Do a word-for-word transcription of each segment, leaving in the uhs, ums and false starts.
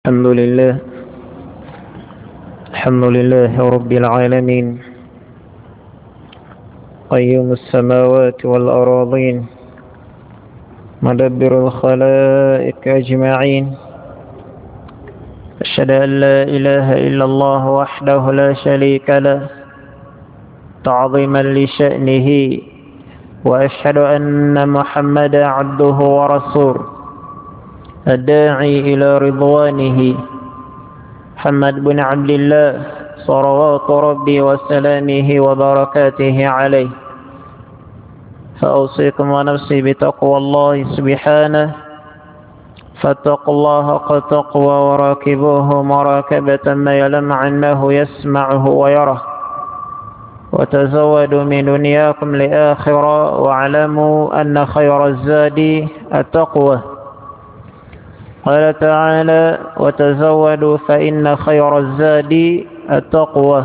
الحمد لله الحمد لله رب العالمين قيوم السماوات والأراضين مدبر الخلائق أجمعين أشهد أن لا إله إلا الله وحده لا شريك له تعظيما لشأنه وأشهد أن محمدا عبده ورسوله الداعي إلى رضوانه محمد بن عبد الله صلوات ربي وسلامه وبركاته عليه. فأوصيكم ونفسي بتقوى الله سبحانه، فاتقوا الله حق تقوى وراكبوه مراكبة ما يلم أنه يسمعه ويره، وتزودوا من دنياكم لآخرة، واعلموا أن خير الزاد التقوى. قال تعالى: وتزودوا فإن خير الزاد التقوى.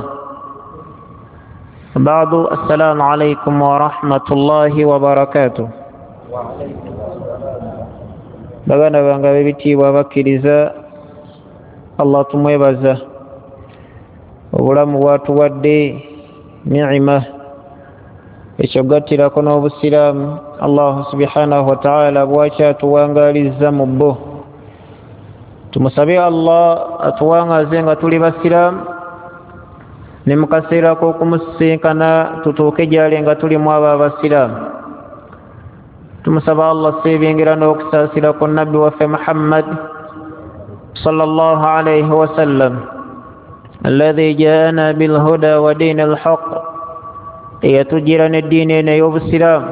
بعد، السلام عليكم ورحمة الله وبركاته. Baganda bange ab'ebitiibwa abakkiriza, Allah tumwebaza obulamu bwatuwadde ni'ima, ekyogattirako n'obusiraamu Allah subhanahu wa ta'ala bwakyatuwangaalizza mu bbo. Tumusabe Allah atuwangaze nga tuli basiraamu, ne mu kaseera k'okumusinkana tutuuke gy'ali nga tuli mu abo abasiraamu. Tumusaba Allah seebingira n'okusaasira ku nabbi waffe Muhammad sallallahu alayhi wa sallam alladhi jaana bilhuda wa diini alhaq, eyatujjira n'eddiini eno ey'obusiraamu,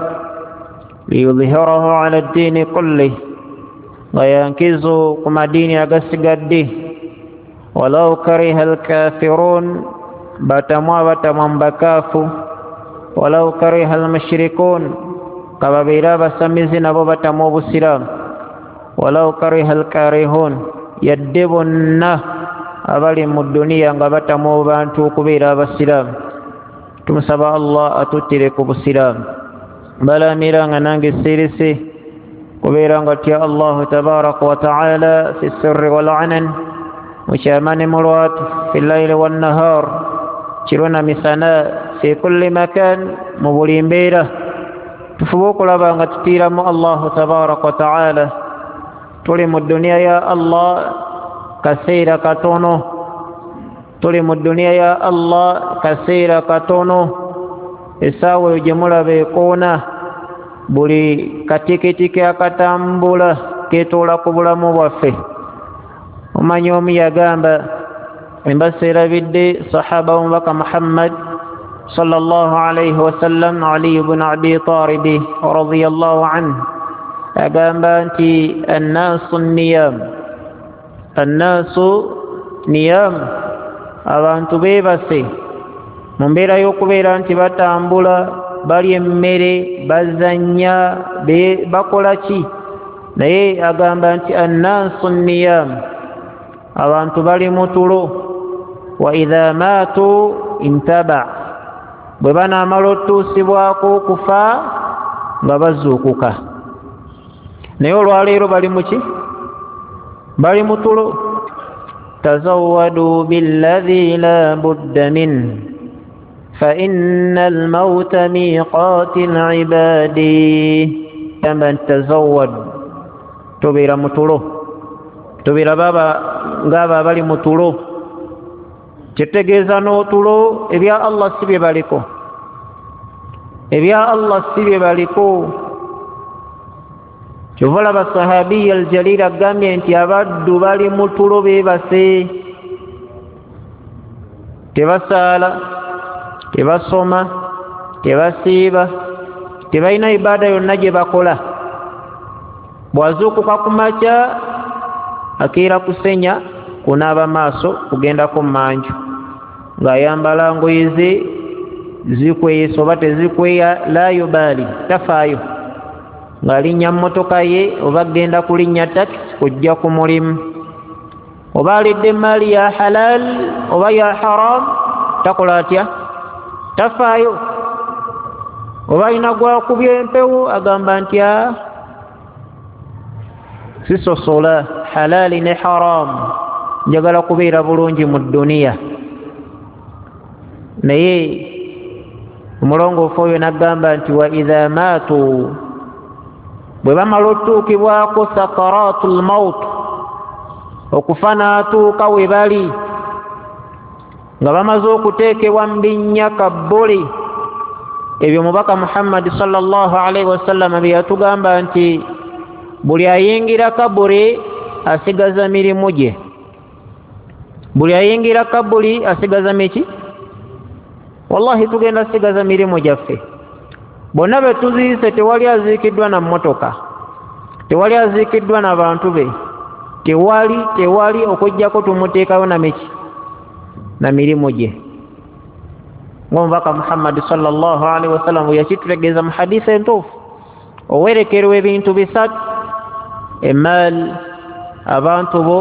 liyudhhirahu ala ddiini kullih, nga yankizo ku madiini agasigadde. Walau kariha alkafirun, batamwa batamwa mu bakaafu. Walau kariha almushrikun, kababeera abasamizi nabo batamwa obusiraamu. Walau kariha alkarihun, yadde bonna abali mu dduniya nga batamwa abantu okubeera abasiraamu. Tumusaba Allah atuttire ku busiraamu. Balamira nga nange sirise kubeera nga tya Allahu tabaraka wa ta'ala fi sirri wal anan, mu kyama ne mu lwatu, fi layli wan nahar, kiro na misana, fi kulli makan, mu buli mbeera. Tufube okulaba nga tutiiramu Allahu tabaraka wa ta'ala. Tuli mu dduniya ya Allah kaseera katono, tuli mu dduniya ya Allah kaseera katono. Essaawa eyo gye mulaba ekoona, buli katikitiki akatambula keetoola ku bulamu bwaffe. Omanyi omu yagamba, embasa erabidde sahaba w'omubaka Muhammad sallallahu alayhi wasallam, Ali ibn Abi Talib radiyallahu anhu, agamba nti annaasu niyam, annaasu niyam, abantu beebase mu mbeera y'okubeera nti batambula, balya emmere, bazannya, bakola ki, naye agamba nti annaasu niyam, abantu bali mu tulo. Wa idha maatu intaba, bwe banaamala otuusibwako okufa nga bazuukuka. Naye olwaleero bali mu ki? Bali mu tulo. Tazawwadu billadhi la budda minhu fa inna almauta miqati alibadi. Gamba nti tazawwad, tubeera mu tulo, tubeera baba ng'abo abali mu tulo. Kitegeeza n'otulo ebya Allah si bye baliko, ebya Allah si bye baliko. Kyova olaba sahabiya aljalil agambye nti abaddu bali mu tulo beebase, tebasaala, tebasoma, tebasiiba, tebalina ibaada yonna gye bakola. Bw'azuukuka ku makya akeera kusenya, kunaaba maaso, kugendako mmanju, ng'ayambala ngoye ze zikweyesa oba tezikweya, la yubaali, tafaayo, ng'alinnya mmotoka ye oba agenda kulinnya takisi kujja ku mulimu, oba alidde emaali ya halal oba ya haram, takola atya? Tafaayo. Oba alina gwakubya empewo, agamba nti sisosola halali ne haram. Njagala kubeera bulungi mu dduniya. Naye omulongoofu oyo n'agamba nti wa idha maatu, bwe bamala otuukibwako sakaratu lmaut, okufa n'atuuka we bali nga bamaze okuteekebwa mu binnya kabbuli. Ebyo mubaka Muhammadi sallallahu alaihi wasallama bye yatugamba nti buli ayingira kaburi asigaza mirimu gye, buli ayingira kaburi asigaza miki. Wallahi tugenda sigaza mirimu gyaffe. Bonna be tuziise tewali aziikiddwa na mmotoka, tewali aziikiddwa na bantu be, tewali tewali okuggyako tumuteekayo na miki na mirimu gye. Ng'omubaka Muhammadi sallallahu alaihi wasallam bwe yakitutegeeza mu hadisi entuufu, owerekerwa ebintu bisatu: emaali, abantu bo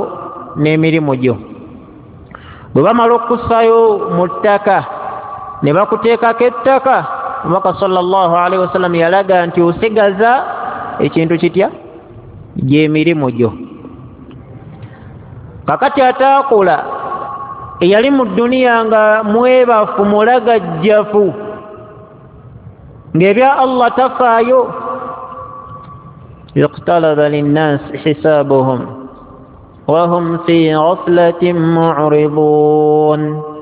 n'emirimu gyo. Bwe bamala okussaayo mu ttaka ne bakuteekako ettaka, omubaka sallallahu alaihi wasallam yalaga nti osigaza ekintu kitya? Gy'emirimu gyo. Kakati ataakola, eyali mu dduniya nga mwebafu, mulagajjafu, ng'ebya Allah tafaayo, iqtalaba linnasi hisabuhum wahum fi ghaflatin mu'ridun.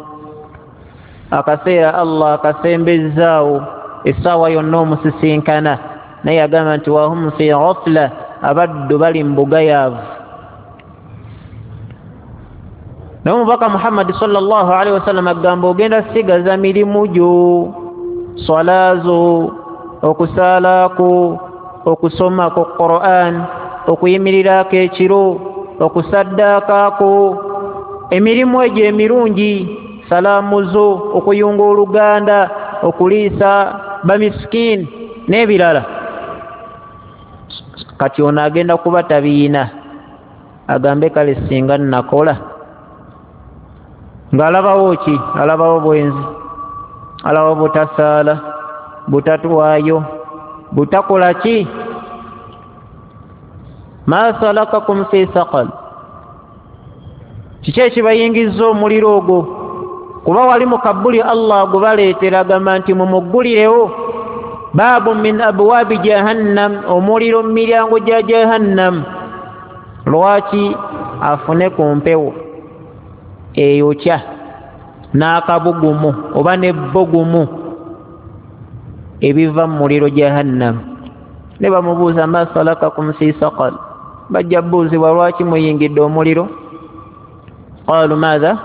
Akaseera Allah akasembezzaawo, essaawa yonna omusisinkana, naye agamba nti wahum fi ghafla, abaddu bali mu bugayaavu. Naye omubaka Muhammadi sallallahu alaihi wasallam agamba ogenda sigaza mirimu gyo, swala zo, okusaalaako, okusomako Qur'an, okuyimirirako ekiro, okusaddaakako, emirimu egyo emirungi, salaamu zo, okuyunga oluganda, okuliisa bamisikini n'ebirala. Kati ono agenda kuba tabiina, agambe kale singa nnakola. Ng'alabawo ki? Alabawo bwenzi, alabawo butasaala, butatwayo, butakola ki? Ma salakakum fi saqal, kiki ekibayingizza omuliro ogwo? Kuba wali mu kabuli Allah agubaleetera, agamba nti mumuggulirewo baabu min abwaabi jahannam, omuliro mu miryango gya jahannam. Lwaki? Afune ku mpewo eyokya n'akabugumu oba n'ebbogumu ebiva mu muliro jahannam. Ne bamubuuza ma salakakum fi saqal, bajja buuzibwa lwaki muyingidde omuliro? Qalu maadha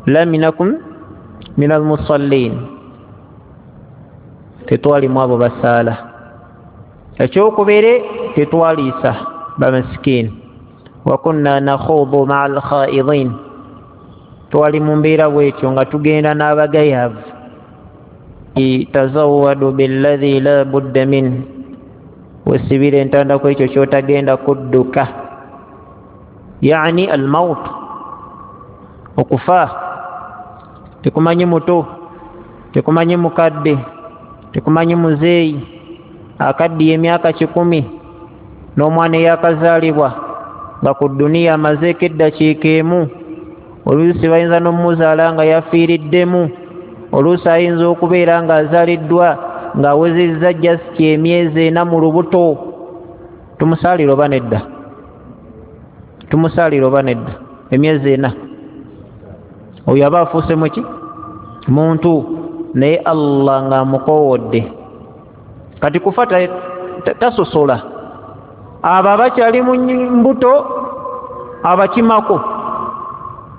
lam nakum min almusallin, tetwalimu abo basaala. Ekyokubiri, tetwaliisa bamasikiini, wa kunna nakhuudu maa alkhaidin, twali mu mbeera bwetyo nga tugenda n'abagayaavu. Tazawwadu billadhi la budda min, wesibira entanda ku ekyo ky'otagenda kudduka, yani almaut, okufa. Tekumanyi muto, tekumanyi mukadde, tekumanyi muzeeyi akaddiye emyaka kikumi, n'omwana eyakazaalibwa nga ku dduniya amazeeko eddakiika emu. Oluusi bayinza n'omuzaala nga yafiiriddemu, oluusi ayinza okubeera ng'azaaliddwa ng'awezezza jasiti emyezi ena mu lubuto. Tumusaalira oba nedda? Tumusaalira oba nedda? Emyezi ena oyo aba afuuse muki? Muntu. Naye Allah ng'amukoowodde. Kati kufa tasosola, abo abakyali mu mbuto abakimako,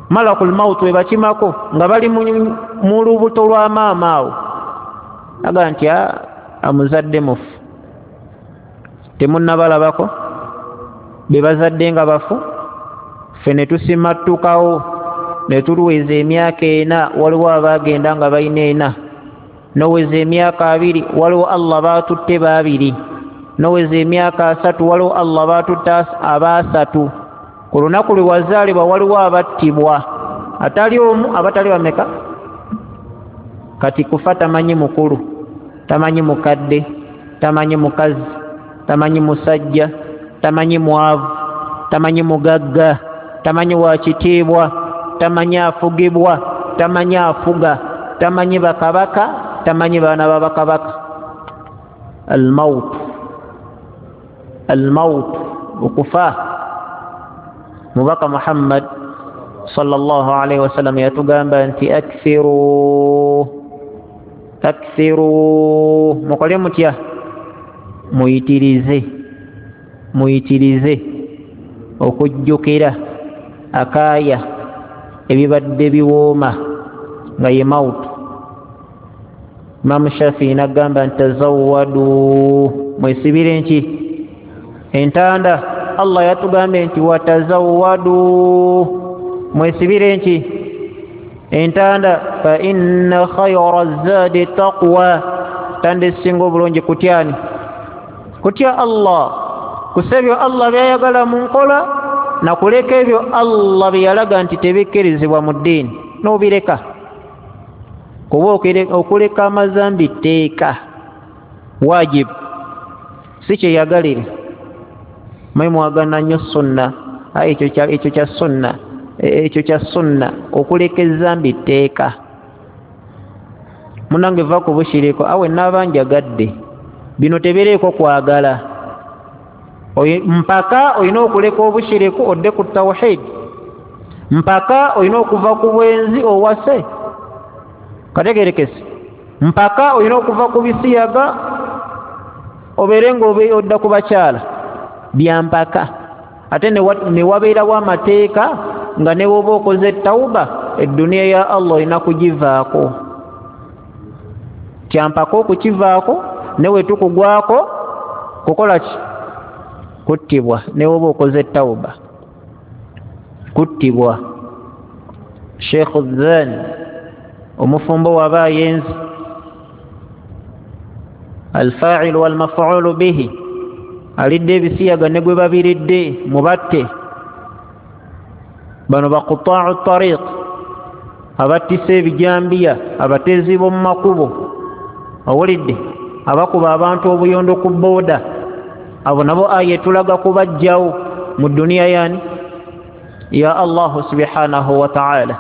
malakul mautu ebakimako nga bali mu lubuto lwa maama awo, aga nti amuzadde mufu, temunnabalabako be bazadde nga bafu, ffe ne tusimattukawo ne tuluweza emyaka ena. Waliwo abaagenda nga balina ena, noweza emyaka abiri, waliwo Allah baatutte babiri, noweza emyaka asatu, waliwo Allah baatutte abaasatu. Ku lunaku lwe wazaalibwa waliwo abattibwa, atali omu, abatali bameka? Kati kufa tamanyi mukulu, tamanyi mukadde, tamanyi mukazi, tamanyi musajja, tamanyi mwavu, tamanyi mugagga. Tamanyi wa kitiibwa, tamanyi afugibwa, tamanyi afuga, tamanyi bakabaka, tamanyi baana ba bakabaka. Almaut, almaut, okufa. Mubaka Muhammad sallallahu alaihi wasallam yatugamba nti akthiru, akthiru, mukole mutya? Muyitirize, muyitirize okujjukira akaaya ebibadde biwooma nga ye mautu. Imamu Shafii n'agamba nti tazawwadu, mwesibire nki? Entanda. Allah yatugambye nti watazawwadu, mwesibire nki? Entanda. Fa inna khayra zaadi taqwa, tanda esinga obulungi kutyani? Kutya Allah, kusa ebyo Allah byayagala mu nkola nakuleka ebyo Allah byeyalaga nti tebikkirizibwa mu ddiini n'obireka. Kuba okuleka amazambi tteeka, wajibu, si kyeyagalire. Mwe mwagana nnyo sunna, ekyo ekyo kya sunna, ekyo kya sunna. Okuleka ezambi tteeka. Munange va ku bushiriko, awe naaba njagadde bino tebireeko kwagala. Mpaka olina okuleka obushiriku odde ku tawhid, mpaka olina okuva ku bwenzi owase kategerekese, mpaka olina okuva ku bisiyaga obeere nga odda ku bakyala. Byampaka. Ate ne wabeerawo amateeka nga ne woba okoze tawuba, edduniya ya Allah olina kugivaako. Kyampaka okukivaako, ne wetukugwako kukola ki? Kuttibwa. Ne woba okoze tawuba, kuttibwa. Sheikh Zan omufumbo waba ayenzi, alfa'il walmaf'ulu bihi, alidde ebisiyaga ne gwe babiridde mubatte. Bano baquta'u tariq, abattisa ebijambiya, abatezi b'omu makubo, owulidde, abakuba abantu obuyondo ku booda. Abo nabo aya etulaga kubajjawo mu duniya yani ya Allahu subhanahu wa ta'ala.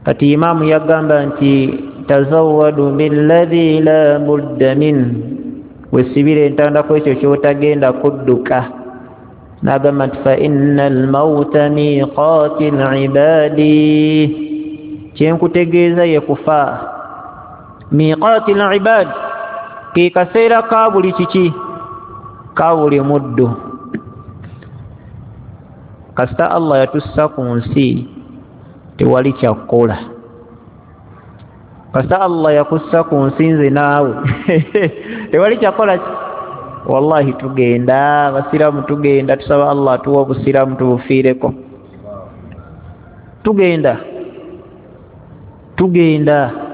Kati imamu yagamba nti tazawwadu billadhi la budda min, wesibire entanda ku ekyo ky'otagenda kudduka. N'agamba nti fa inna almauta miqati libadi, kyenkutegeeza ye kufa. Miqati libadi ke kaseera ka buli kiki? Ka buli muddu. Kasita Allah yatussa ku nsi tewali kyakukola. Kasita Allah yakussa ku nsi nze naawe tewali kyakukola ki? Wallahi tugenda, abasiraamu tugenda, tusaba Allah atuwe obusiraamu tubufiireko. Tugenda, tugenda.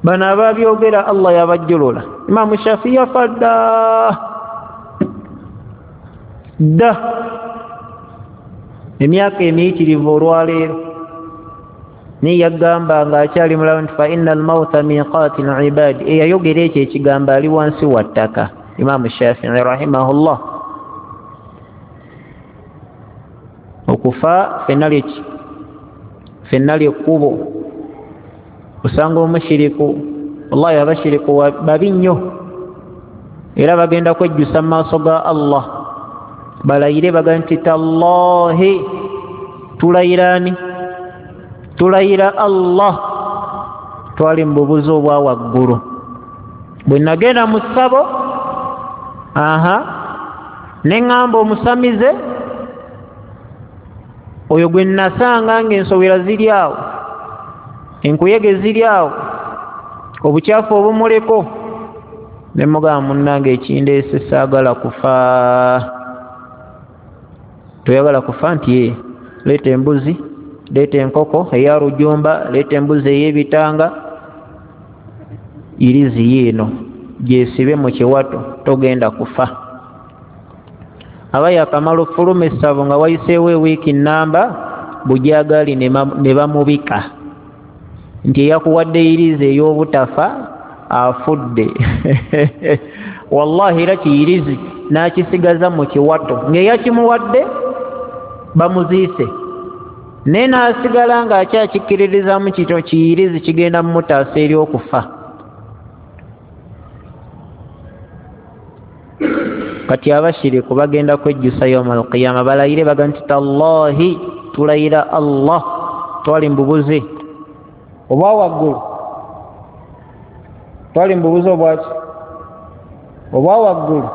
Bano ababyogera Allah yabajjulula. Imamu Shafii yafa dda dda, emyaka emiyitirivu olwaleero. Naye yagamba ng'akyali mulamu nti fa inna almauta miqati libadi. Eyayogera ekyo ekigambo ali wansi wa ttaka, Imamu Shafii rahimahullah. Okufa ffenna lyeki? Ffenna lyekkubo. Osanga omushiriku, wallahi abashiriku babi nnyo, era bagenda kwejjusa mu maaso ga Allah, balayire bagambe nti tallahi, tulayirani? Tulayira Allah, twali mu bubuzi obwa waggulu. Bwe nagenda mu ssabo, aha, ne ŋŋamba omusamize oyo gwe nasanga ng'ensowera ziri awo, enkuyege ziri awo, obukyafu obumuleko, ne mugamba munnange ekindeese saagala kufa. Toyagala kufa? Nti ye, leeta embuzi, leeta enkoko eya rujumba, leeta embuzi ey'ebitanga, irizi yiino gyesibe mu kiwato, togenda kufa. Aba yakamala ofuluma essabo nga wayiseewo ewiiki nnamba, bujagali ne bamubika nti eyakuwadde irizi ey'obutafa afudde. Wallahi era kiyirizi n'akisigaza mu kiwato ng'eyakimuwadde bamuziise, naye n'asigala ng'akyakikkiririzamu kito kiyirizi kigenda mumutaasa eri okufa. Kati abashiriku bagenda kwejjusa yawma alqiyama, balayire baga nti tallahi, tulayira Allah twali mbubuze obwa waggulu, twali mbubuze obwaki obwa waggulu.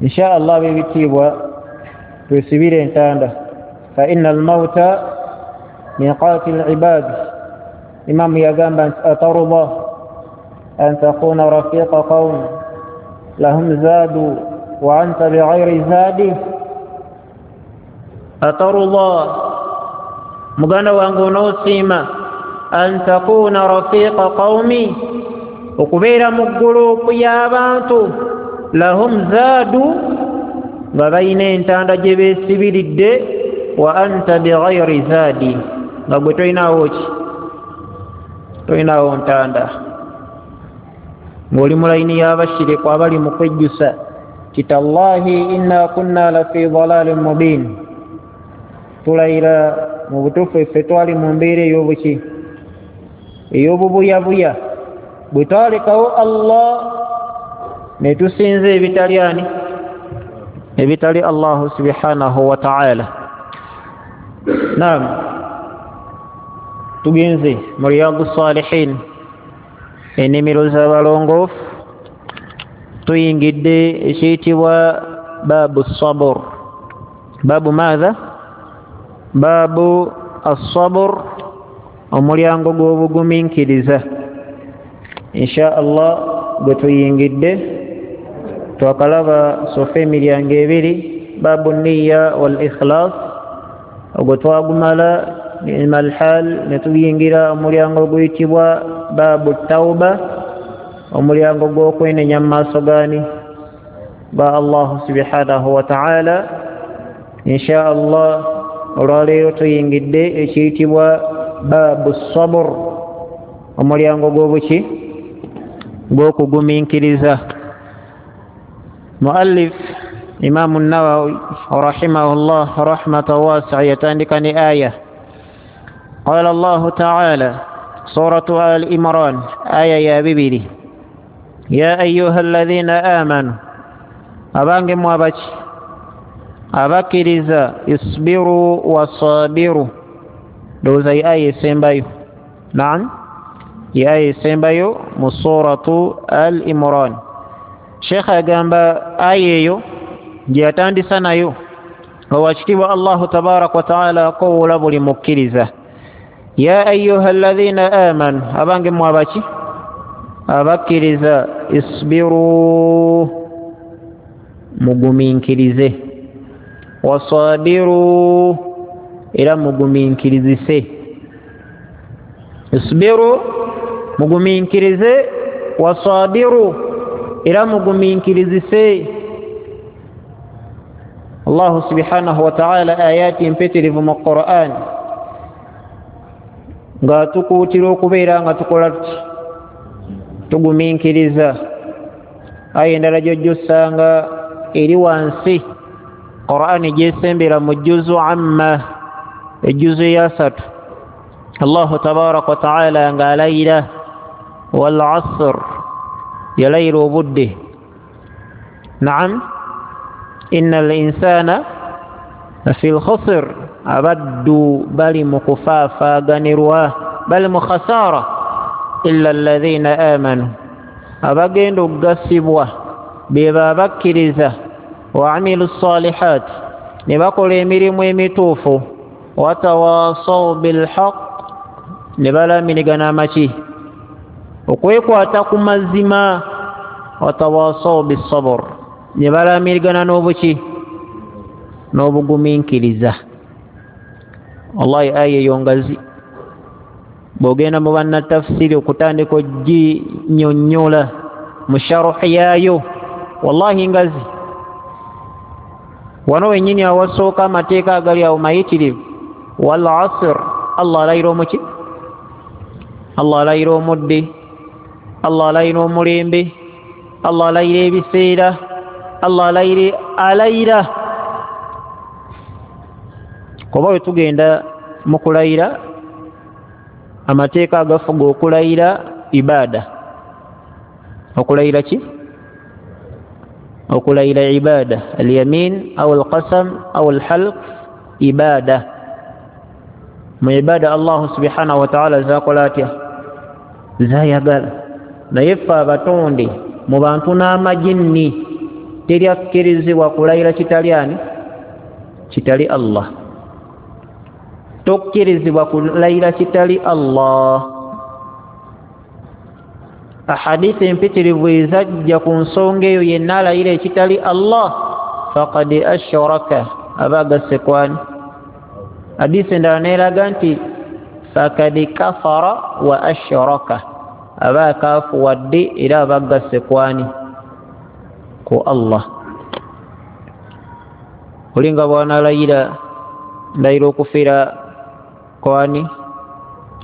Insha Allah ab'ebitiibwa twesibire entanda, fa inna almauta miqati alibadi. Imamu yagamba nti atarda an takuna rafiqa qawm lahum zadu wa anta bighairi zadi. Atarda, muganda wange onoosiima, an takuna rafiqa qawmi, okubeera mu ggurupu y'abantu lahum zaadu, nga balina entanda gye beesibiridde, wa anta bighairi zaadi, nga gwe tolinaawo ki, tolinaawo ntanda, ng'oli mu layini y'abashiriku abali mu kwejjusa ti tallahi inna kunna lafi dalalin mubin, tulayira mu butuufu ffe twali mu mbeera ey'obuki ey'obubuyabuya, bwe twalekawo Allah ne tusinza ebitali ani ebitali Allahu subhanahu wa ta'ala. Naam, tugenze mu Riyadu Salihin, ennimiro z'abalongoofu, tuyingidde ekiyitibwa baabu sabur. Baabu maatha? Baabu assabur, omulyango gw'obugumiikiriza. Insha Allah gwe tuyingidde twakalaba sofa emiryango ebiri, baabu nniya wal ikhlas, ogwo twagumala ni'mal hal, ne tuyingira omulyango oguyitibwa baabu tauba, omulyango gw'okwenenya mu maaso gaani ga Allahu subhanahu wa ta'ala. Insha Allah olwaleero tuyingidde ekiyitibwa baabu sabur, omulyango gw'obuki gw'okugumiikiriza. Muallif Imamu Nawawi rahimahullah rahmatan wasi'a yatandika ne aya. Qala Allahu ta'ala, suratu Al Imran aya ya bibiri, ya ayyuha alladhina amanu, abange mmwe abaki abakkiriza, isbiru wasabiru. Ndowooza ye aya esembayo. Naam, ye aya esembayo mu suratu Al Imran. Sheikh agamba aya eyo gye yatandisa nayo nga wakitiibwa Allahu tabaraka wa taala akowoola buli mukkiriza, ya ayyuha alladhina amanu, abange mmwe abaki abakkiriza, isbiru, mugumiikirize, wasabiru, era mugumiikirizise. Isbiru, mugumiikirize, wasabiru, era mugumiikirizise. Allahu subhanahu wa ta'ala ayati mpitirivu mu Qur'an ng'atukuutira okubeera nga tukola tuti tugumiikiriza. Aya endala gy'ojja osanga eri wansi Qur'an gyesembera mu juzu amma, ejjuzu eyasatu, Allahu tabaraka wa ta'ala ng'alayira wal asr, yalayira obudde. Naam, innal insana lafi lkhusr, abaddu bali mu kufaafaaganirwa, bali mu khasara, illa alladhina amanu, abagenda okugasibwa be babakkiriza, wa amilu salihat, ne bakola emirimu emituufu, watawasaw bilhaq, ne balamirigana amaki okwekwata ku mazima, watawasaw bisabr, ne balamirigana n'obuki n'obugumiikiriza. Wallahi aya eyo ngazi, bw'ogenda mu bannatafsiri okutandika oginnyonnyola mu sharuhi yaayo, wallahi ngazi. Wano wennyini awasooka amateeka agali awo mayitirivu. Wal asr, Allah alayira omuki, Allah alayira omudde, Allah alayira omulembe, Allah alayira ebiseera, Allah alayira alayira. Kuba bwe tugenda mu kulayira, amateeka agafuga okulayira ibada. Okulayira ki? Okulayira ibada, alyamin au alqasam au alhalq ibada. Mu ibada Allah subhanahu wa ta'ala zakola atya? Zayagala. Naye ffe abatonde mu bantu n'amajinni teri akkirizibwa kulayira kitali ani? Kitali Allah. Tokkirizibwa kulayira kitali Allah. Ahadithi empitirivu ezajja ku nsonga eyo, yenna alayira ekitali Allah faqad ashraka, aba agasse kwani? Hadisi endala neeraga nti fakad kafara wa ashraka, aba akaafuwadde era aba agasse kwani? Ku Allah. Olinga bw'anaalayira, ndayira okufiira kwani?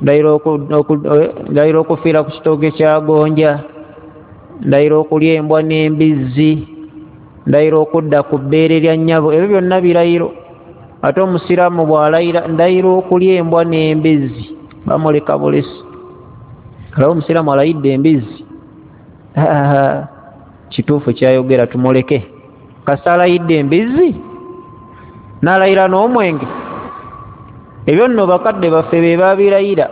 Ndayira okufiira ku kitooke kya gonja, ndayira okulya embwa n'embizzi, ndayira okudda ku bbeere lya nnyabo. Ebyo byonna birayiro. Ate omusiraamu bw'alayira ndayira okulya embwa n'embizzi, bamuleka bulesi. Alaba omusiraamu alayidde embizzi, kituufu kyayogera, tumuleke. Kasita alayidde embizzi n'alayira n'omwenge, ebyo nno bakadde baffe be babirayira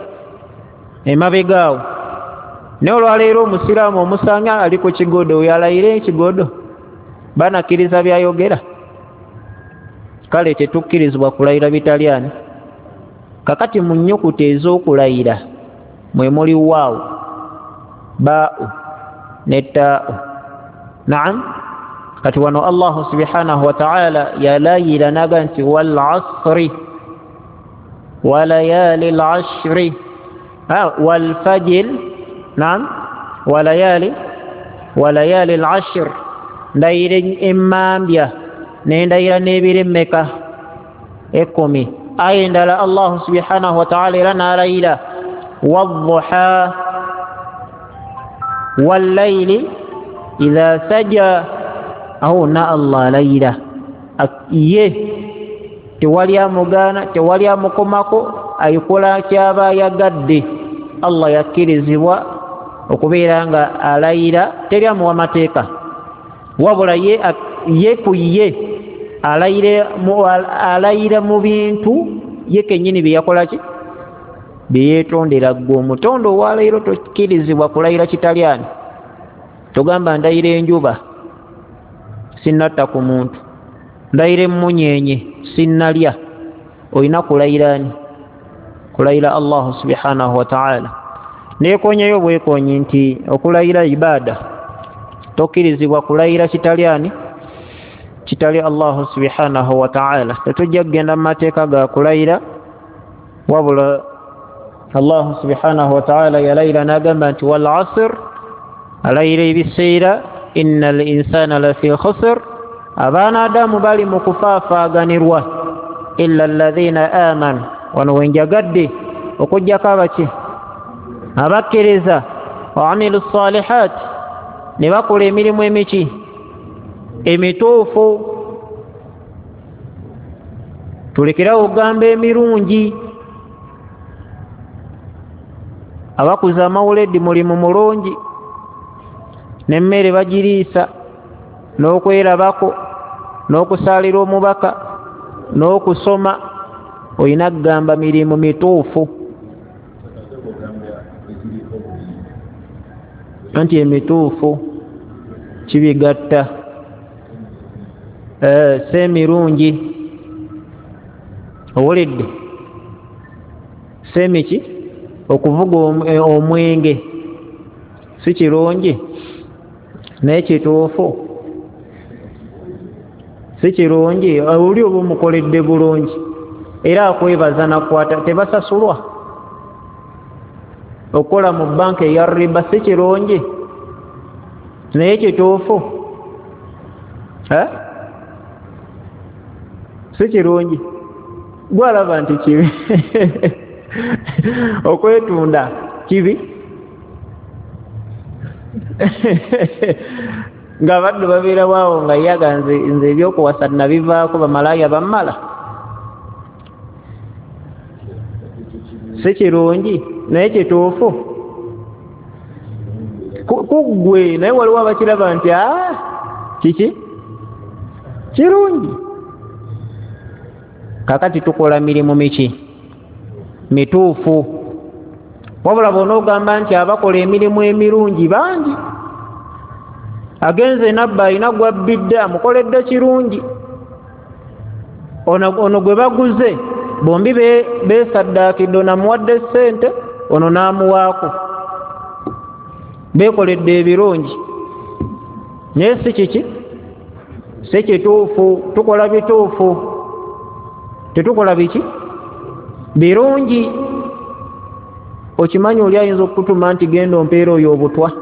emabega awo. Naye olwaleero omusiraamu omusanga ali ku kigodo, oyo alayire ekigodo, banakkiriza byayogera? Kale tetukkirizibwa kulayira bitali ani? Kakati mu nnyukuta ez'okulayira mwe muli waawu, baa'u ne taa'u. Naam. Kati wano Allahu subhanahu wa ta'ala yalayira naga nti wal asri wa layali al ashri wal fajr. Naam, wa layali wa layali al ashr, ndayira emmambya nendayira n'ebiro emmeka? Ekkumi. Aya endala Allahu subhanahu wa ta'ala era n'alayira wadduha wallayli idha saja. Awo na Allah alayira ye, tewali amugaana, tewali amukomako, ayikola kyaba ayagadde. Allah yakkirizibwa okubeera nga alayira, teri amuwa mateeka, wabula ye, ye ku ye alayira mu bintu ye kennyini bye yakola ki? Bye yeetondera. Ggwe omutonde owaleero tokkirizibwa kulayira kitali ani? Togamba ndayira enjuba sinnatta ku muntu, ndayira emmunyeenye sinnalya. Olina kulayira ani? Kulayira Allahu subhanahu wa ta'ala. Neekonyeyo bwekonyi nti okulayira ibada, tokkirizibwa kulayira kitali ani? Kitali Allahu subhanahu wa ta'ala. Tetujja kugenda mu mateeka ga kulayira, wabula Allahu subhanahu wa ta'ala yalayira n'agamba nti wal asr, alayira ebiseera, innal insana lafi khusr, abaana Adamu bali mu kufaafaaganirwa, illa alladhina amanu. Wano wenjagadde okuggyako abaki? Abakkiriza, wa amilu salihat, ne bakola emirimu emiki? Emituufu. Tulekerawo okugamba emirungi. Abakuza amawuledi mulimu mulungi, n'emmere bagiriisa, n'okwerabako, n'okusaalira omubaka, n'okusoma. Olina kugamba mirimu mituufu, anti emituufu kibigatta, si emirungi. Owulidde? Si emiki? Okuvuga omwenge si kirungi, naye kituufu si kirungi. Oli oba omukoledde bulungi era akwebaza nakwata, tebasasulwa. Okukola mu banka eya riba si kirungi, naye kituufu si kirungi. Gwalaba nti kibi okwetunda kibi, Nga abaddu babeera waawo nga yaga nze nze ebyokuwasa nabivaako, bamalaaya bammala. Si kirungi naye kituufu kuggwe, naye waliwo abakiraba nti aa kiki kirungi. Kakati tukola mirimu miki mituufu. Wabula bw'onoogamba nti abakola emirimu emirungi bangi, agenze nabba alina gwabbidde amukoledde kirungi, ono ono gwe baguze bombi beesaddaakidde, ono amuwadde ssente ono n'amuwaako, beekoledde ebirungi. Naye si kiki, si kituufu. Tukola bituufu, tetukola biki birungi. Okimanyi oli ayinza okukutuma nti genda ompeera oyo obutwa,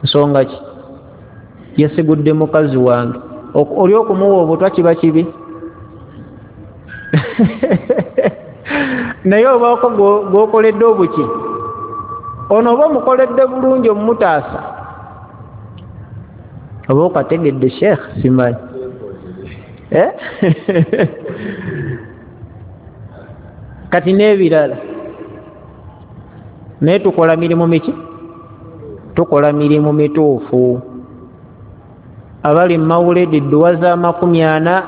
nsonga ki? Yesigudde mukazi wange. Oli okumuwa obutwa kiba kibi naye obaako gw'okoledde obuki, ono oba omukoledde bulungi omumutaasa, oba okategedde sheekh simanyi eh? Kati n'ebirala. Naye tukola mirimu miki? Tukola mirimu mituufu. Abali mawuledi dduwa za makumi ana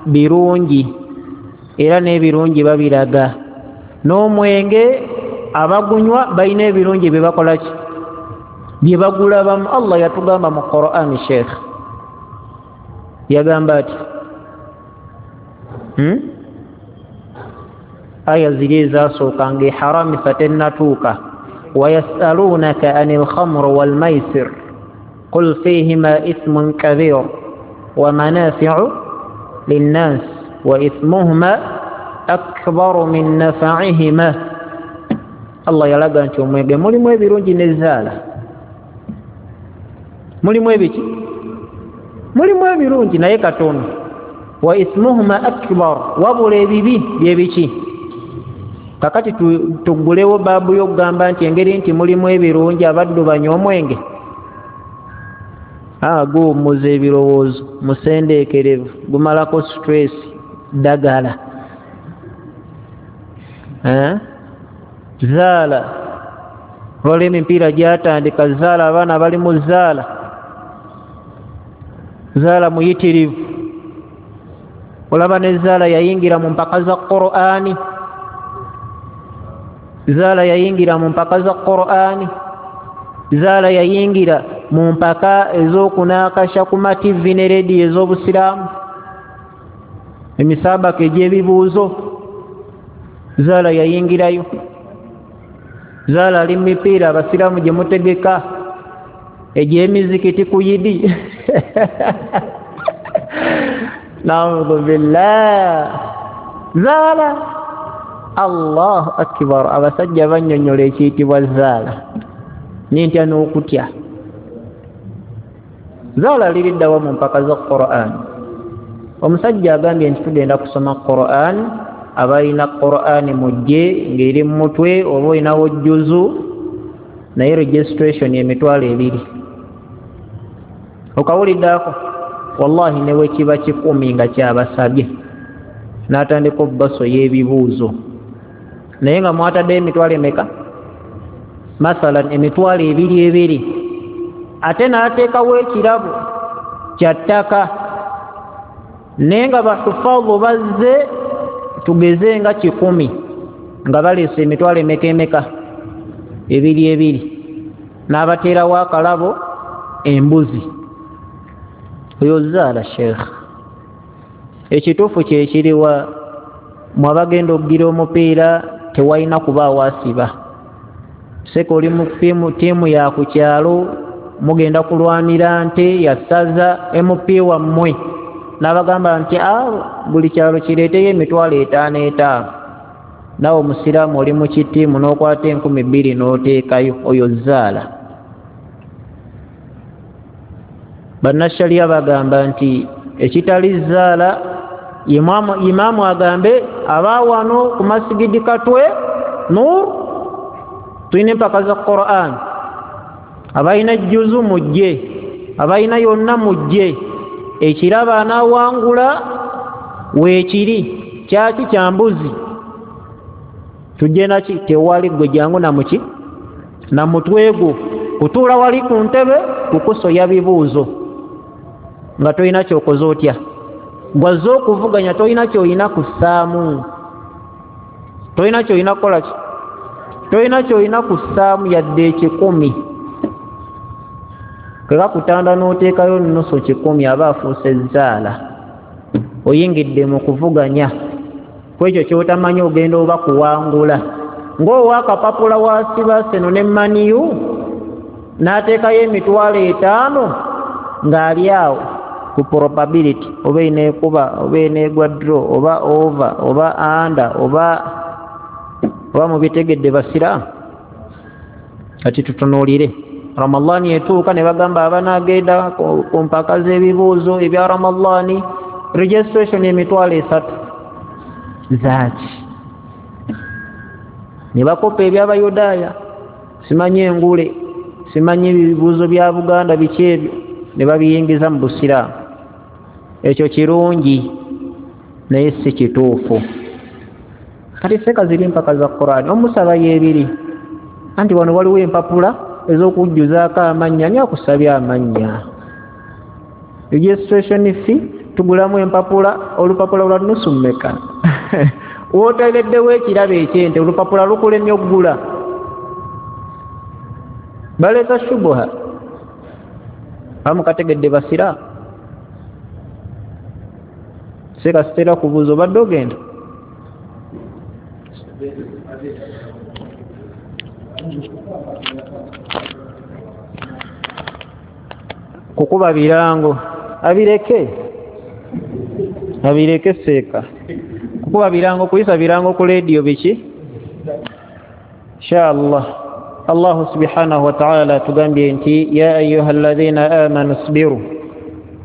birungi, era n'ebirungi babiraga. N'omwenge abagunywa balina ebirungi bye bakola ki? Bye bagulabamu. Allah yatugamba mu Qur'an, sheekh yagamba ati hmm? Aya ziri ezasooka nga eharamisa tennatuuka, wayasalunaka ani lkhamru walmaisir qul fihima ithmun kabir wa manafiu linnas wa ithmuhuma akbaru min nafaihima. Allah yalaga nti omwenge mulimu ebirungi nezaala, mulimu ebiki, mulimu ebirungi naye katono. Wa ithmuhuma akbar, wabula ebibi byebiki. Kakati tuggulewo baabu y'okugamba nti engeri nti mulimu ebirungi abaddu banywa omwenge, guwummuza ebirowoozo, musendeekerevu, gumalako stress, ddagala. Zaala, waliwo emipiira gyatandika, zaala, abaana bali mu zaala, zaala muyitirivu. Olaba ne zaala yayingira mu mpaka za Qur'ani, zaala yayingira mu mpaka za Qur'ani, zaala yayingira mu mpaka ez'okunaakasha ku mativi ne rediyo ez'obusiraamu, emisaabaka egy'ebibuuzo, zaala yayingirayo. Zaala ali mu mipiira abasiraamu gye mutegeka egy'emizikiti ku yidi naudhu billah. Zaala, Allahu akbar. Abasajja bannyonnyola ekiyitibwa zaala, nintya n'okutya. Zaala liriddawa mu mpaka za Qur'an. Omusajja agambye nti tugenda kusoma Qur'an, abalina Qur'an mujje ng'eri mu mutwe oba olinawo jjuzu, naye registration emitwalo ebiri. Okawuliddeako? Wallahi ne bwe kiba kikumi nga kyabasabye, n'atandika obbaso y'ebibuuzo, naye nga mwataddeyo emitwalo emeka? Mathalan emitwalo ebiri ebiri, ate n'ateekawo ekirabo kya ttaka, naye nga bahufadhu bazze tugeze nga kikumi nga baleese emitwalo emeka emeka? Ebiri ebiri, n'abateerawo akalabo embuzi. Oyo zaala sheekh. Ekituufu kyekiriwa, mwabagenda okugira omupiira tewalina kubaawo asiba. Seka oli mu ttiimu ya ku kyalo, mugenda kulwanira nte ya ssaza, M P wammwe n'abagamba nti buli kyalo kireeteyo emitwalo etaano etaano, naawe omusiraamu oli mu kittiimu n'okwata enkumi bbiri n'oteekayo, oyo zaala. Bannasharia bagamba nti ekitali zaala, imaamu agambe abaawano ku masigidi Katwe Nur tulina empaka za Qur'an, Abalina juzu mujje, abalina yonna mujje. Ekirabo anaawangula weekiri kyaki kya mbuzi, tujje naki? Tewali. Gwe jangu namuki na mutwe gwo, kutuula wali ku ntebe kukusoya bibuuzo nga tolina kyokoze otya. Gwazze okuvuganya tolina kyolina kussaamu, tolina kyolina kukola ki, tolina kyolina kussaamu yadde ekikumi. Kekakutanda n'oteekayo nusu kikumi, aba afuuse ezzaala. Oyingidde mu kuvuganya kwekyo kyotamanyi ogenda oba kuwangula. Ng'owaakapapula wasiba seno ne maniyu n'ateekayo emitwalo etaano ng'ali awo ku probability, oba eneekuba oba eneegwa draw oba over oba under oba oba mubitegedde basiraamu. Kati tutunuulire Ramadhaani etuuka ne bagamba abanaagenda ku mpaka z'ebibuuzo ebya Ramadhaani registration emitwalo esatu zaaki, ne bakopa ebyabayudaaya, simanyi engule, simanyi ebibuuzo bya Buganda biki ebyo, ne babiyingiza mu busiraamu. Ekyo kirungi naye si kituufu. Kati seeka ziri mpaka za Qur'ani, omusaba y'ebiri anti wano waliwo empapula ez'okujjuzaako amannya. Ani akusabye amannya? Registration fee tugulamu empapula, olupapula lwa nusu mmeka? Wooteereddewo ekirabo ekyente, olupapula lukulemye oggula. Baleeta shubuha amukategedde basiraamu. Seeka sitera kubuuza obadde ogenda kukuba birango, abireke abireke seeka kukuba birango, kuyisa birango ku leediyo biki. Inshallah Allahu subhanahu wa ta'ala tugambye nti ya ayuha alladhina amanu sbiru,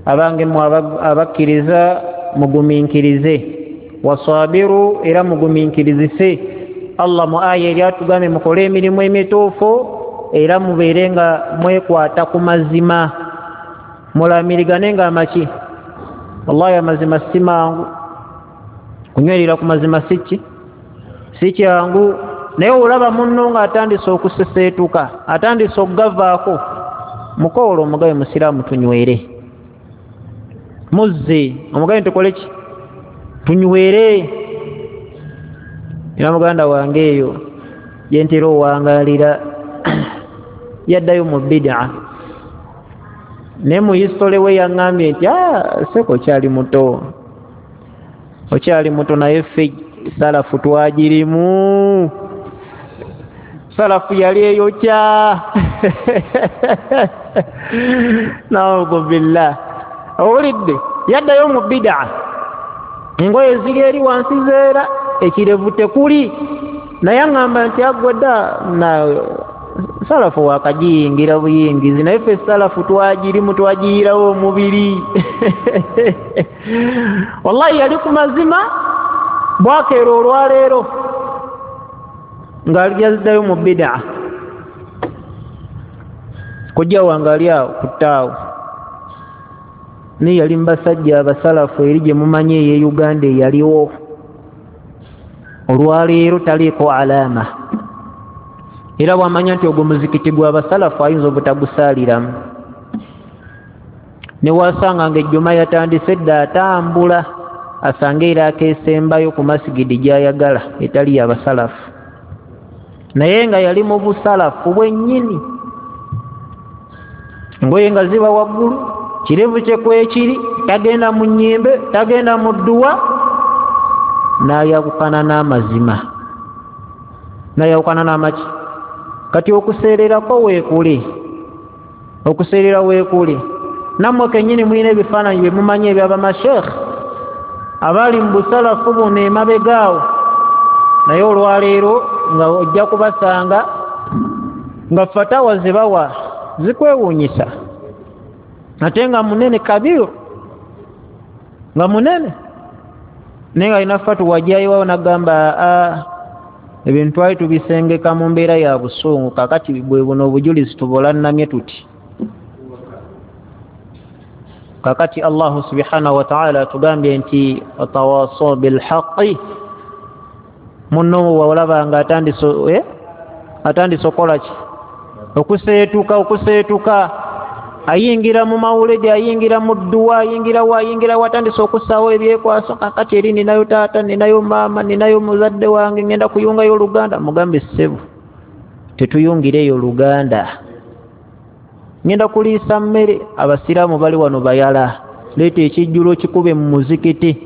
abange mmwe abakkiriza mugumiikirize, wasabiru era mugumiikirizise. Allah mu aya eri atugambye mukole emirimu emituufu era mubeere nga mwekwata ku mazima, mulamirigane nga amaki. Wallahi amazima si mangu, kunywerera ku mazima si ki si kyangu. Naye olaba munno ng'atandise okuseseetuka, atandise okugavaako, mukoolo omugabe musiraamu tunywere, muzze omugabe tukole ki, tunywere. Era muganda wange eyo gye ntera owangaalira yaddayo mu bid'a, naye mu history we yaŋŋambye nti ah, seeka okyali muto, okyali muto, naye ffe salafu twagirimu, salafu yali eyokya. Naudhu billah. Owulidde, yaddayo mu bid'a, engoye ziri eri wansi zeera, ekirevu tekuli, naye aŋŋamba nti agwe dda na salafu wakagiyingira buyingizi, naye ffe salafu twagirimu, twagiyirawo omubiri. Wallahi yali ku mazima, bwakeera olwaleero ng'alizaddayo mu bid'a. Kojja wange ali awo ku ttaawo, naye yali mu basajja abasalafu eri gye mumanyi ey'e Uganda eyaliwo. Olwaleero taliiko alama, era bw'amanya nti ogwo muzikiti gw'abasalafu ayinza obutagusaaliramu. Ne wasanga ng'ejjuma yatandise dda atambula asange era akeesembayo ku masigidi gy'ayagala etali y'abasalafu, naye nga yali mu busalafu bwennyini, engoye nga ziba waggulu, kirevu kye kwekiri, tagenda mu nnyimbe, tagenda mu dduwa, n'ayawukana n'amazima, n'ayawukana n'amaki. Kati okuseererako weekuli, okuseerera weekuli. Nammwe kennyini mulina ebifaananyi bye mumanyi eby'abamasheekh abali mu busalafu buno emabega awo, naye olwaleero nga ojja kubasanga nga fatawa ze bawa zikwewuunyisa, ate nga munene kabiru, nga munene, naye nga alina fatuwa gy'ayiwawo n'agamba aa Ebintu twali tubisengeka mu mbeera ya busungu, kakati bwe buno obujulizi tubolannamye tuti. Kakati Allahu subhanahu wa ta'ala atugambye nti watawasaw bilhaqi, munno walaba nga atandise eh? atandise okukola ki? Okuseetuka, okuseetuka, ayingira mu mawuledi, ayingira mu dduwa, ayingira wa, ayingira wa, atandise okussaawo ebyekwaso. Kakati eri ninayo taata, ninayo maama, ninayo muzadde wange, ngenda kuyungayo oluganda. Mugambe ssebo, tetuyungireeyo oluganda, ngenda kuliisa mmere, abasiraamu bali wano bayala, leeta ekijjulo kikube mu muzikiti.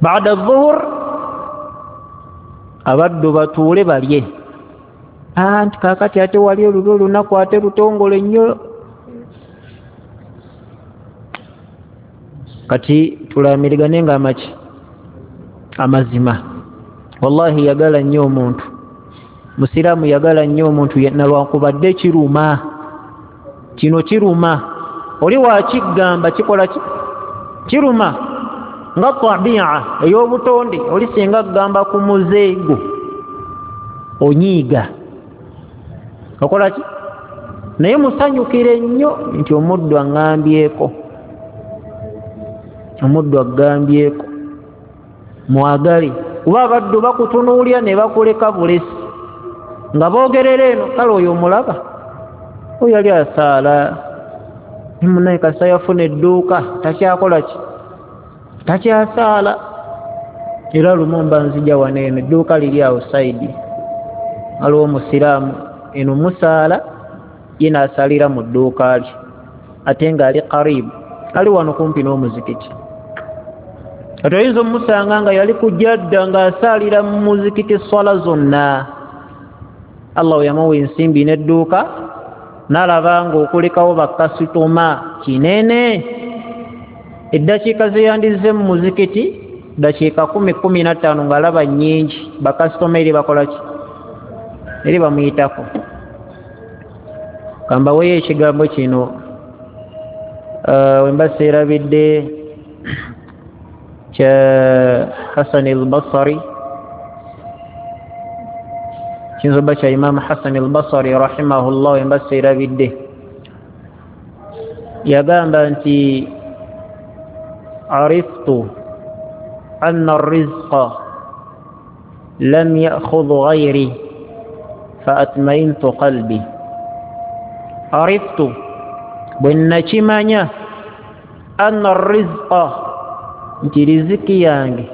Baada dhuhur abaddu batuule balye. Anti kakati ate wali olulwo olunaku ate lutongole nnyo. Kati tulamirigane nga amaki amazima. Wallahi yagala nnyo omuntu, musiraamu yagala nnyo omuntu, nalwankubadde kiruma, kino kiruma, oli wakigamba kikola ki? Kiruma nga tabia ey'obutonde. Oli singa kugamba ku muzeego onyiiga, okola ki? Naye musanyukire nnyo nti omuddu aŋŋambyeko, omuddu agambyeko, mwagale. Kuba abaddu bakutunuulira ne bakuleka bulesi nga boogerera eno, kale oyo omulaba, oyo yali asaala, munaye kasita yafuna edduuka takyakola ki? Takyasaala. Era lumu mba nzija wano eno, edduuka liri awo saidi, waliwo omusiraamu eno musaala, ye n'asaalira mu dduuka lye, ate ng'ali karibu, ali wano kumpi n'omuzikiti. Ate oyinza omusanga nga yali ku jadda ng'asaalira mu muzikiti swala zonna. Allah yamuwa ensimbi n'edduuka, n'alaba ng'okulekawo bakasitoma kinene. Eddakiika ze yandizze mu muzikiti, ddakiika kumi kumi na ttaano ng'alaba nnyingi, bakasitoma eri bakola ki? Eri bamuyitako. Kambaweeyo ekigambo kino, uh, wemba seerabidde kya Hasan al-Basri, kiyinza obba kya Imaamu Hasan al-Basri rahimahullah, wemba seerabidde, yagamba nti ariftu anna arrizqa lam ya'khudh ghayri fa atma'intu qalbi. Ariftu, bwe nakimanya, anna arrizqa, nti riziki yange,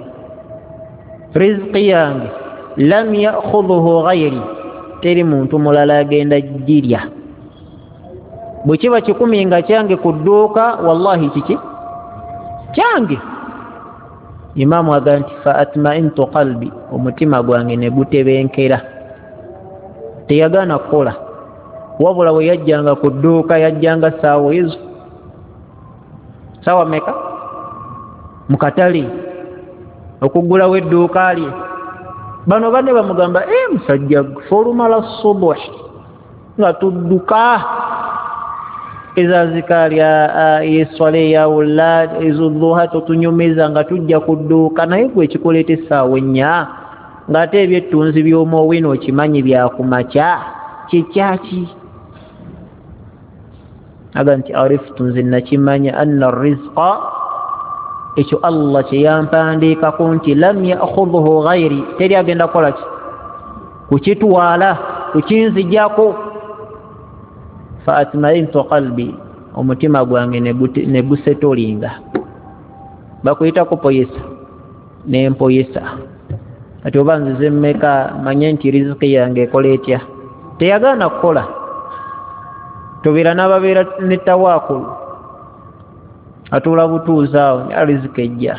riziki yange lam ya'khudhuhu ghayri, teri muntu mulala agenda girya. Bwe kiba kikumi nga kyange ku dduuka, wallahi kiki kyange. Imaamu agamba nti fa atma'intu qalbi, omutima gwange ne gutebenkera. Teyagaana kukola, wabula bwe yajjanga ku dduuka yajjanga ssaawa ezo, ssaawa mmeka? Mu katale okuggulawo edduuka lye. Bano banne bamugamba, e musajja ffe olumala subuhi nga tudduka, ezazikaali eswala eyawula ezodduha totunyumiza nga tujja ku dduuka, naye gwe ekikuleeta essaawa ennya ng'ate ebyettunzi by'omwowino okimanyi byakumakya, kikyaki? Aga nti ariftu, nze nakimanya, anna rizqa, ekyo Allah kye yampandiikako nti lam ya'khudhuhu ghayri, teri agenda kukola ki? Kukitwala, kukinzijjako. Fa atma'intu qalbi, omutima gwange ne gusetolinga. Bakuyita kupoyesa, nempoyesa. Ati oba nzize mmeka, manye nti riziki yange ekola etya. Teyagaana kukola. Tobeera n'ababeera ne tawaakulu, atuula butuuzi awo, riziki ejja.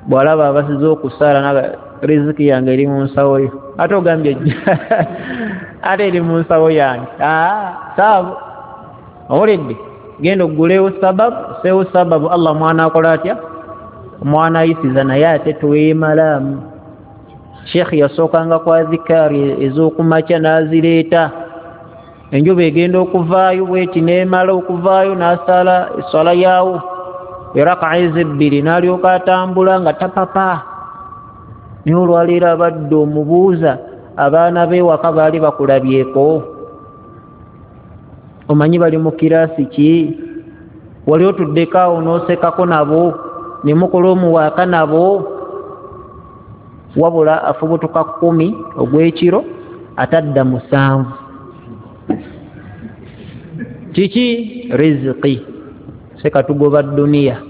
Bw'alaba abasize okusaala, naga riziki yange eri mu nsawo yo, ate ogambye ejja ate eri mu nsawo yange. Saabu owulidde, genda oggulewo sababu, seewo sababu, Allah mwana akola atya? Omwana ayisiza, naye ate twemalaamu. Sheikh yasookanga kwa adhikaari ez'okumakya n'azireeta, enjuba egenda okuvaayo bweti n'emala okuvaayo n'asaala eswala yaawo eraka ezebbiri, n'alyoka atambula nga tapapa. Naye olwaleero abadde omubuuza abaana b'ewaka baali bakulabyeko, omanyi bali mu kiraasi ki, wali otuddeko awo n'osekako nabo ne mukola omuwaaka nabo. Wabula afubutuka kkumi ogw'ekiro atadda musanvu. Kiki? Riziki. Sekatugoba duniya.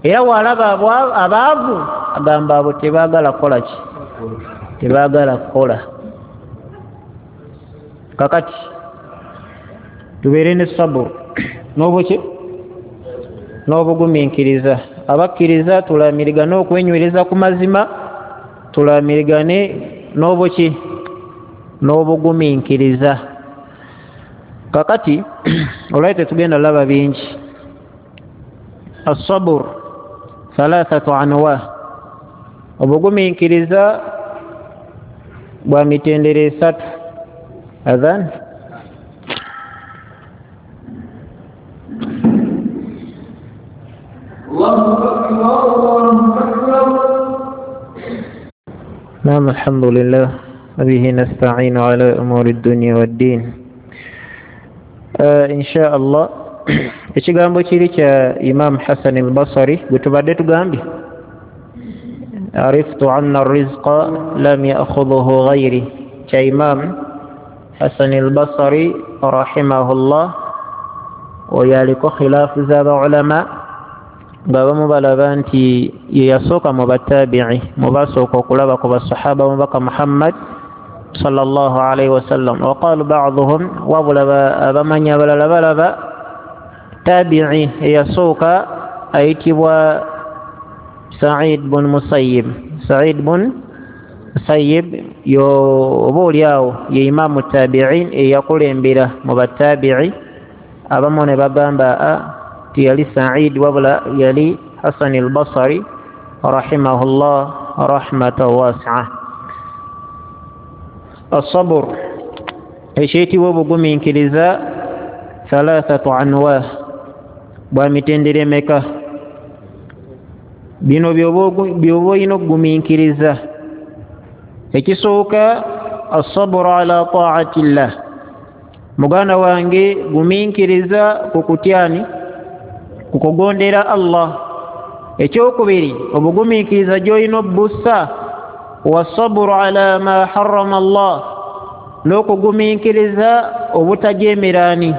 Era walaba abaavu agamba abo tebaagala kukola ki? Tebaagala kukola. Kakati tubeere ne sabur n'obuki n'obugumiikiriza. Abakkiriza tulamirigane okwenywereza ku mazima, tulamirigane n'obuki n'obugumiikiriza. Kakati olwali tetugenda laba bingi. As-sabr thalathatu anwa, obugumiikiriza bwa mitendera esatu. Adhan نعم الحمد لله وبه نستعين على أمور الدنيا والدين. آه إن شاء الله ekigambo kiri kya Imam Hassan al-Basri gwe tubadde tugambye, ariftu anna ar-rizqa lam ya'khudhuhu ghayri, kya Imam Hassan al-Basri rahimahullah. Oyo aliko khilaafu z'abaulama nga abamu balaba nti ye yasooka mu batabi'i, mu basooka okulaba ku basahaba mubaka Muhammad sallallahu alayhi wasallam. Waqalu ba'dhuhum, wabula abamanyi abalala balaba tabi'i eyasooka ayitibwa Sa'id bun Musayyib. Sa'id bun Musayyib yo oba oliawo ye imamu tabi'in eyakulembera mu batabi'i. Abamu ne bagamba ti yali Sa'id wabula yali Hasan al-Basri rahimahullah rahmatan wasi'a. As-sabr ekiyitibwa obugumiikiriza thalathatu anwa, bwa mitendera emeka? Bino byoba olina okugumiikiriza. Ekisooka as-sabru ala ta'atillah, muganda wange gumiikiriza ku kutyani, ku kugondera Allah. Ekyokubiri obugumiikiriza gy'olina obbussa wasabru ala ma harrama Allah, n'okugumiikiriza obutajeemeraani.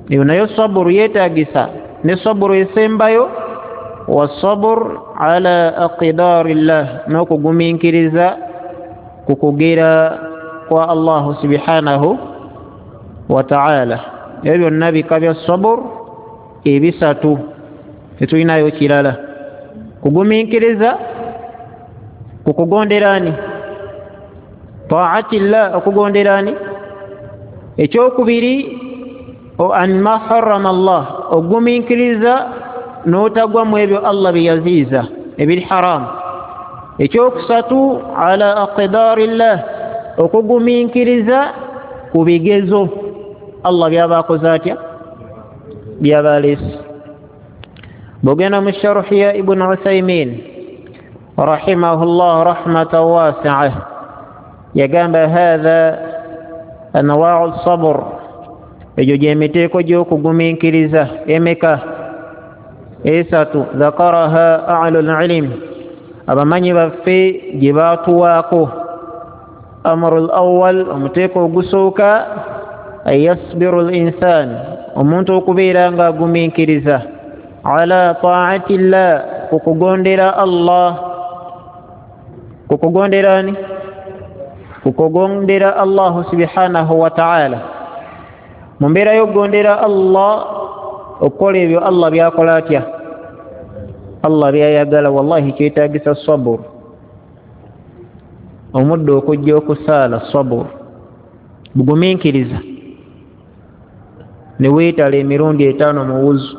Eyo nayo saburu yeetagisa. Ne saburu esembayo wasabur ala aqdarillah, n'okugumiikiriza ku kugera kwa Allahu subhanahu wa ta'ala. Ebyo byonna bika bya sabur ebisatu, tetulinayo kirala. Kugumiikiriza ku kugonderani, ta'atillah, okugonderani. Ekyokubiri an ma harrama Allah, ogumiikiriza n'otagwa mu ebyo Allah bye yaziiza ebiri haramu. Ekyokusatu ala aqdarillah, okugumiikiriza ku bigezo Allah byaba akoze atya, byaba aleese. Bw'ogenda mu sharuhi ya Ibn Uthaymin rahimahullah rahmatan wasi'a, yagamba hadha anwa'u sabr, egyo gy'emiteeko gy'okugumiikiriza emeka? Esatu. Dhakaraha ahlul ilm, abamanyi baffe gye baatuwaako. Amrul awwal, omuteeko ogusooka an yasbiru al-insan, omuntu okubeera ng'agumiikiriza ala ta'atillah, ku kugondera Allah. Ku kugonderani? Ku kugondera Allahu subhanahu wa ta'ala. Mu mbeera y'okugondera Allah, okukola ebyo Allah by'akola atya, Allah by'ayagala. Wallahi kyetaagisa sabur, omuddo okujja okusaala sabur, bugumiikiriza. Ne weetala emirundi etaano mu wuzu,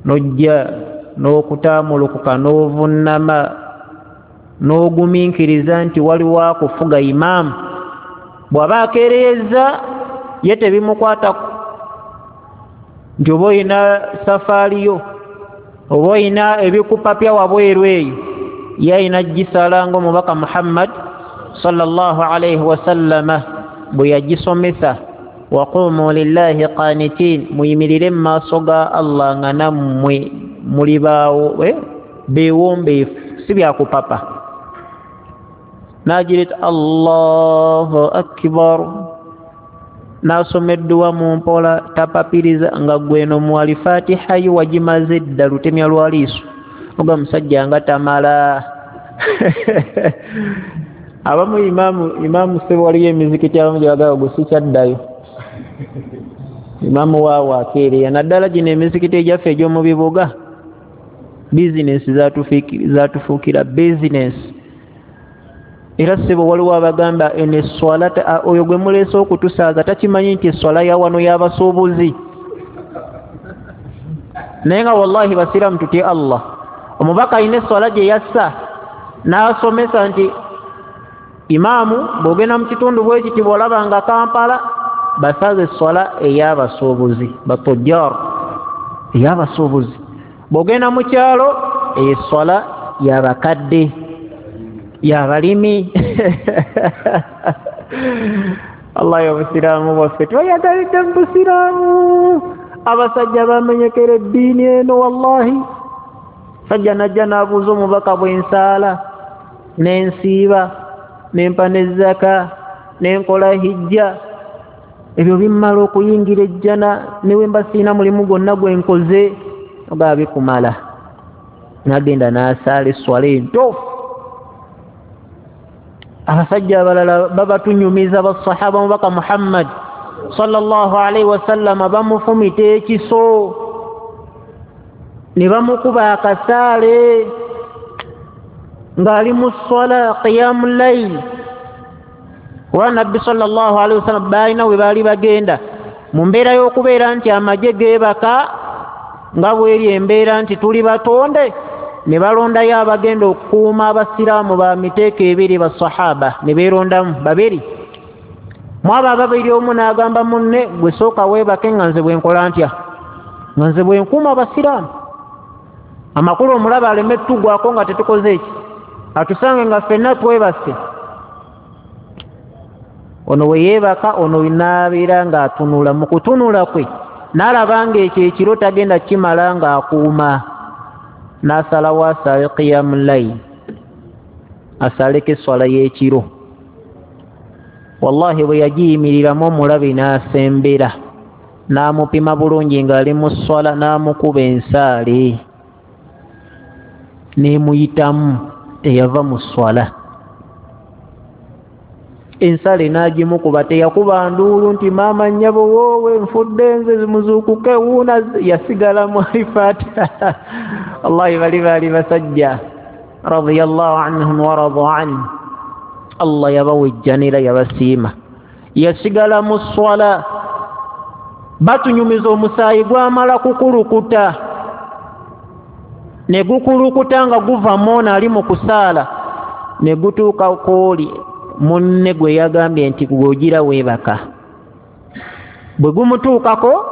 n'ojja n'okutaamulukuka n'ovunnama n'ogumiikiriza nti waliwo akufuga imaamu. Bw'aba akeereyeza ye tebimukwatako, nti oba olina safaari yo, oba olina ebikupapya wabweru eyo, Yayina gisaala ng'omubaka Muhammad sallallahu alaihi wasallama bwe yagisomesa, waqumu lillahi qanitin, muyimirire mu maaso ga Allah nga nammwe muli baawo beewombeefu, si byakupapa. N'agireeta Allahu akbar, n'asoma edduwa mu mpola, tapapiriza, nga gweno mwali Fatiha yo wagimaze dda lutemya lwa liiso, oga musajja nga tamala. Abamu imaamu imaamu sebo waliyo emizikiti abamu gye bagamba gwe sikyaddayo, imaamu waawo akeereya, naddala gino emizikiti egyaffe egy'omu bibuga, bizinesi zatufuukira bizinesi. Era sebo waliwo abagamba eno eswala, oyo gwe muleese okutusaaza takimanyi nti eswala ya wano y'abasuubuzi. Naye nga wallahi basiraamu tutye Allah. Omubaka alina eswala gye yassa n'asomesa nti imaamu bw'ogenda mu kitundu bwe kiti bw'olaba nga Kampala basaze eswala ey'abasuubuzi batujjar, ey'abasuubuzi. Bw'ogenda mu kyalo eswala y'abakadde, y'abalimi. Allah y'obusiraamu bwaffe tweyagalidde mu busiraamu. Abasajja bamenyekera eddiini eno wallahi. Sajja najja n'abuuza omubaka bw'ensaala n'ensiiba n'empa n'ezzaka n'enkola hijja, ebyo bimmala okuyingira ejjana ne bwe mba sirina mulimu gwonna gwe nkoze, ogaa bikumala. N'agenda n'asaala esswala entuufu. Abasajja abalala babatunyumiza basahaba omubaka Muhammad sallallahu alaihi wasallama bamufumita ekiso ne bamukuba akasaale ng'ali mu swala qiyamu layl. Kuba Nabbi sallallahu alaihi wasallam baalina we baali bagenda mu mbeera y'okubeera nti amagye geebaka nga bweri embeera nti tuli batonde, ne balondayo abagenda okukuuma abasiraamu ba miteeko ebiri basahaba, ne beerondamu babiri. Mu abo ababiri omu n'agamba munne, gwe sooka weebake nga nze bwe nkola ntya, nga nze bwe nkuuma abasiraamu. Amakulu omulaba aleme tugwako nga tetukoze eki, atusange nga ffenna twebase. Ono we yeebaka, ono n'abeera ng'atunula. Mu kutunula kwe n'alaba ng'ekyo ekiro tagenda kimala ng'akuuma, n'asalawo asaale qiyamu layl, asaaleko esswala y'ekiro. Wallahi bwe yagiyimiriramu omulabe n'asembera, n'amupima bulungi ng'ali mu sswala, n'amukuba ensaale n'emuyitamu, teyava mu sswala. Ensaale n'agimukuba, teyakuba nduulu nti maama nnyabo woowe nfudde nze muzuukuke wuuna, yasigala mu Fatiha. Wallahi bali baali basajja radiyallahu anhum wa radu anhu. Allah yabawejjanira, yabasiima. Yasigala mu sswala. Batunyumiza omusaayi gwamala kukulukuta, ne gukulukuta nga guva moona ali mu kusaala, ne gutuuka kwoli munne gwe yagambye nti gw'ogira weebaka. Bwe gumutuukako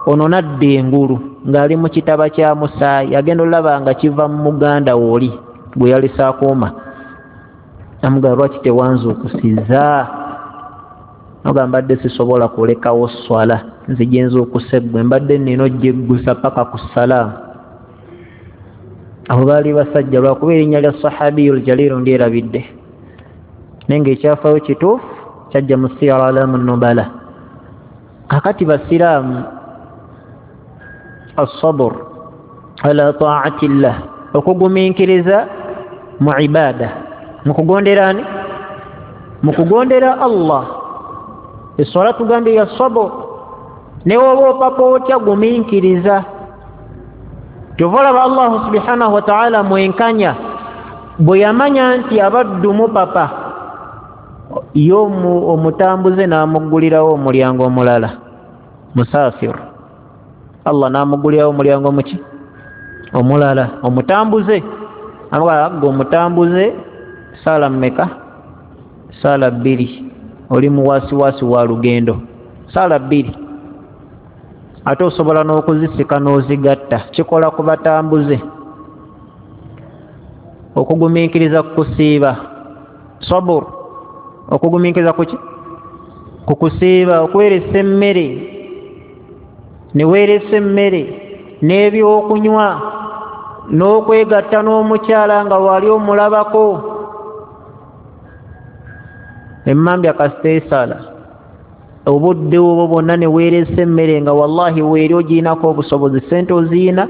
ono n'adda engulu ng'ali mu kitaba kya musaayi, agenda olaba nga kiva mu muganda wooli gwe yalese akuuma. Amugamba lwaki tewanzuukusizza? Nogamba mbadde sisobola kulekawo sswala, nze gye nzuukuse ggwe, mbadde nnina ojjeggusa paka ku ssalaamu. Abo baali basajja, lwakuba erinnya lya sahabiyul jaliiru ndyerabidde, naye ng'ekyafaayo kituufu kyajja mu siyara alamu nubala. Kakati basiraamu, assabur ala taati llah, okugumiikiriza mu ibada, mu kugondera ani? Mu kugondera Allah. Esswala tugambye ya sabur, ne woba opapa otya gumiikiriza. Kyova olaba Allahu subhanahu wa ta'ala mwenkanya, bwe yamanya nti abaddu mupapa, ye omutambuze n'amuggulirawo omulyango omulala, musafir. Allah n'amuggulirawo omulyango muki? Omulala, omutambuze. Amugamba omutambuze saala mmeka? Saala bbiri. Oli muwasiwasi wa lugendo, saala bbiri. Ate osobola n'okuzisika n'ozigatta, kikola ku batambuze. Okugumiikiriza kukusiiba, sabur okugumiikiriza kuki? Kukusiiba, okweresa emmere, neweeresa emmere n'ebyokunywa n'okwegatta n'omukyala nga wali omulabako. Emmambya kasita esala obudde obwo bwonna neweeresa emmere nga wallahi weeri ogiinako obusobozi, sente oziina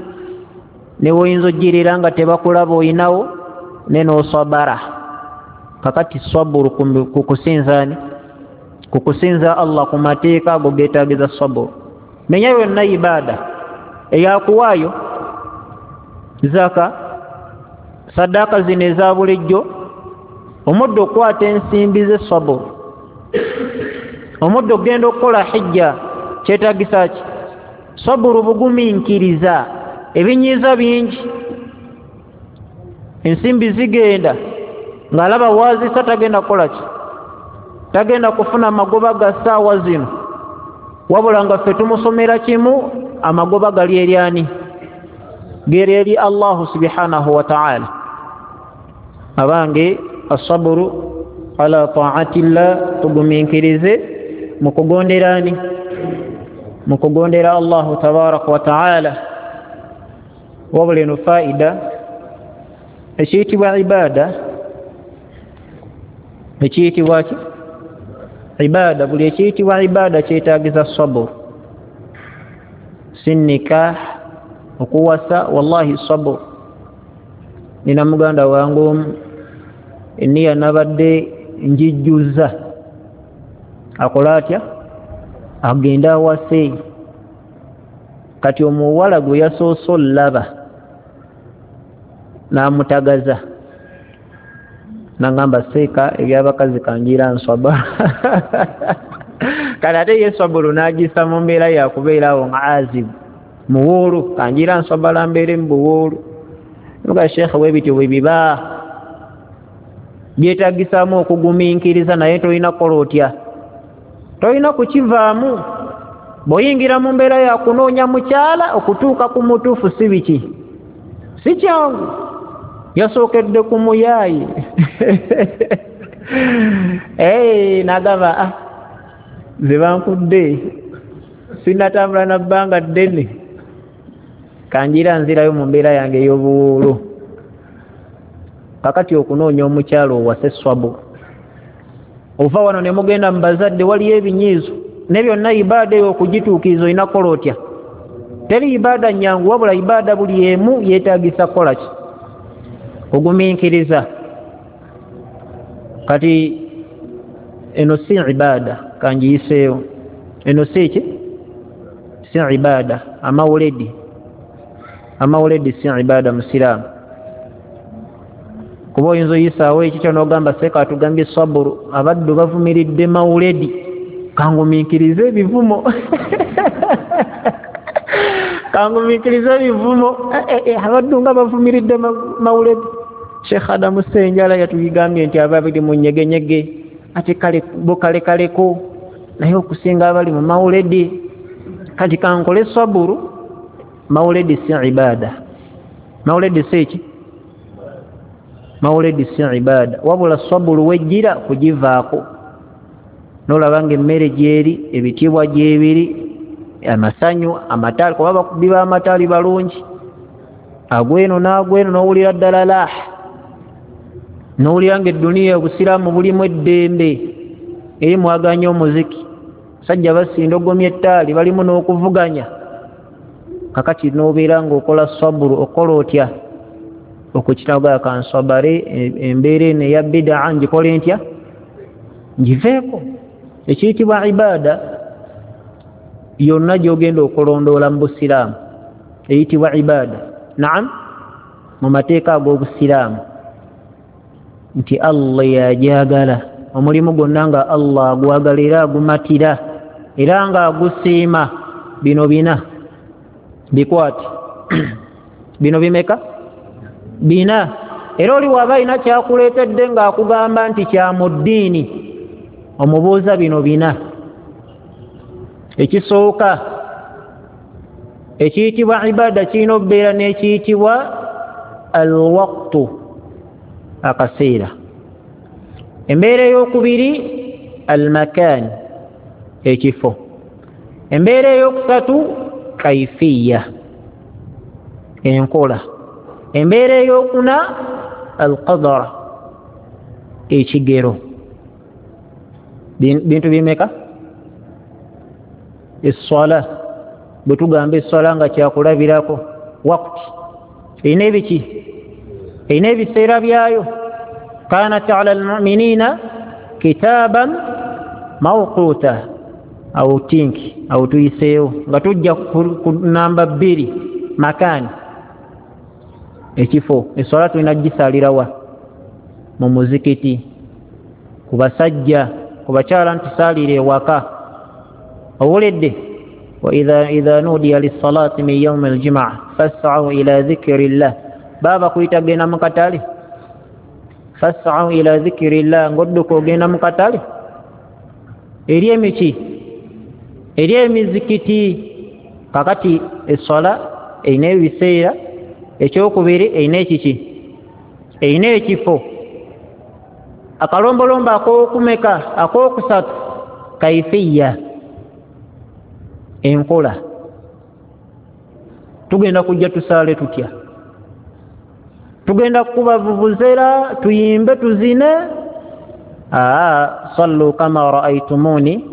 newoyinza ogirira nga tebakulaba oyinawo, ne n'osabara. Kakati saburu kukusinzaani? Kukusinza Allah ku mateeka ago geetagiza saburu. Menya yonna ibaada eyakuwaayo zaka, saddaaka zino eza bulijjo, omuddo okukwata ensimbi ze saburu, omuddo okugenda okukola hijja kyetaagisa ki? Saburu, bugumiikiriza. Ebinyiiza bingi, ensimbi zigenda ng'alaba waazisa tagenda kukola ki? Tagenda kufuna magoba ga ssaawa zino, wabula nga ffe tumusomera kimu, amagoba gali eri ani? Geri eri Allahu subhanahu wa ta'ala. Abange, asaburu ala ta'atillah, tugumiikirize mu kugondera ani? Mu kugondera Allahu tabaraka wa ta'ala. Wabula eno faida, ekiyitibwa ibaada, ekiyitibwa ki? Ibaada. Buli ekiyitibwa ibaada kyetaagiza sabur. Si nikah, okuwasa, wallahi sabur. Nina muganda wange omu, eniya nabadde njijjuza, akola atya? Agenda awase. Kati omuwala gwe yasoose olaba n'amutagaza, nangamba seeka ebyabakazi kanjira nswaba. Kale ate ye saburu n'agisa mu mbeera yakubeera awo nga azibu muwuulu, kanjira nswabala mbeere mu buwuulu. Nga sheekhe webityo bwe biba byetaagisaamu okugumiikiriza, naye tolina kukola otya? Tolina kukivaamu. Bw'oyingira mu mbeera ya kunoonya mukyala okutuuka ku mutuufu si biki? Si kyangu. Yasookedde ku muyaayi n'agamba ah, ze bankudde sinnatambula na bbanga ddene, kanjira nzirayo mu mbeera yange ey'obuwuulu. Kakati okunoonya omukyala owase swabu, ova wano ne mugenda mu bazadde, waliyo ebinyiizo ne byonna. Ibaada eyo okugituukiriza olina kukola otya? Teri ibaada nnyangu, wabula ibaada buli emu yeetaagisa kukola ki? Kugumiikiriza. Kati eno si ibaada, kangiyiseewo. Eno si ki? Si ibaada. Amawuledi, amawuledi si ibaada musiraamu, kuba oyinza oyisaawo ekikyo n'ogamba seeka atugambye saburu, abaddu bavumiridde mawuledi, kangumiikirize ebivumo kangumiikirize ebivumo, abaddu nga bavumiridde mawuledi. Sheikh Adamu Ssenjala yatugambye nti ababiri mu nyegenyege ate kale bo kalekaleko, naye okusinga abali mu mawuledi. Kati kankole saburu. Mawuledi si ibaada, mawuledi si ki? Mawuledi si ibaada, wabula saburu wejjira kugivaako n'olaba ng'emmere gyeri, ebitiibwa gyebiri, amasanyu, amataali, kuba bakubi b'amataali balungi, agweno n'agweno n'owulira ddala laah, n'owulira ng'edduniya obusiraamu bulimu eddembe, eri mwaganya omuziki, sajja basinda ogomya ettaali, balimu n'okuvuganya. Kakati n'obeera ng'okola saburu, okola otya? Okukitaga kansabare embeera eno eya bidaa ngikole ntya? Ngiveeko. Ekiyitibwa ibaada yonna gy'ogenda okulondoola mu busiraamu eyitibwa ibaada, naam, mu mateeka ag'obusiraamu, nti Allah yajagala omulimu gwonna nga Allah agwagala era agumatira era nga agusiima. Bino bina bikwate, bino bimeka? Bina. Era oli waba alina kyakuleetedde ng'akugamba nti kya mu ddiini, omubuuza bino bina. Ekisooka ekiyitibwa ibaada kirina okubeera n'ekiyitibwa alwaqtu. Akaseera. Embeera eyokubiri almakan, ekifo. Embeera eyokusatu kaifiya, enkola. Embeera eyokuna alqadara, ekigero. Bintu bimeka? Esswala, bwe tugamba esswala nga kyakulabirako, wakti erina ebiki? Erina ebiseera byayo. Kanat ala almuminina kitaban mawquta. Awo tinki awo tuyiseewo nga tujja ku namba bbiri, makaani, ekifo. Esswala tulina kugisaalirawa? Mu muzikiti ku basajja, ku bakyala ntusaalire ewaka. Owulidde? Wa idha nudiya lissalati min yaumi aljumaa fas'au ila dhikri llah. Baba kuyita genda mu katale, fas'au ila dhikri llah, ng'odduka ogenda mu katale eri emiki, eri emizikiti. Kakati esswala erina ebiseera. Ekyokubiri erina ekiki? Erina ekifo. Akalombolombo akokumeka akokusatu kaifiya, enkola. Tugenda kujja tusaale tutya? Tugenda kukuba vuvuzera, tuyimbe, tuzine? Aa, sallu kama raaitumuni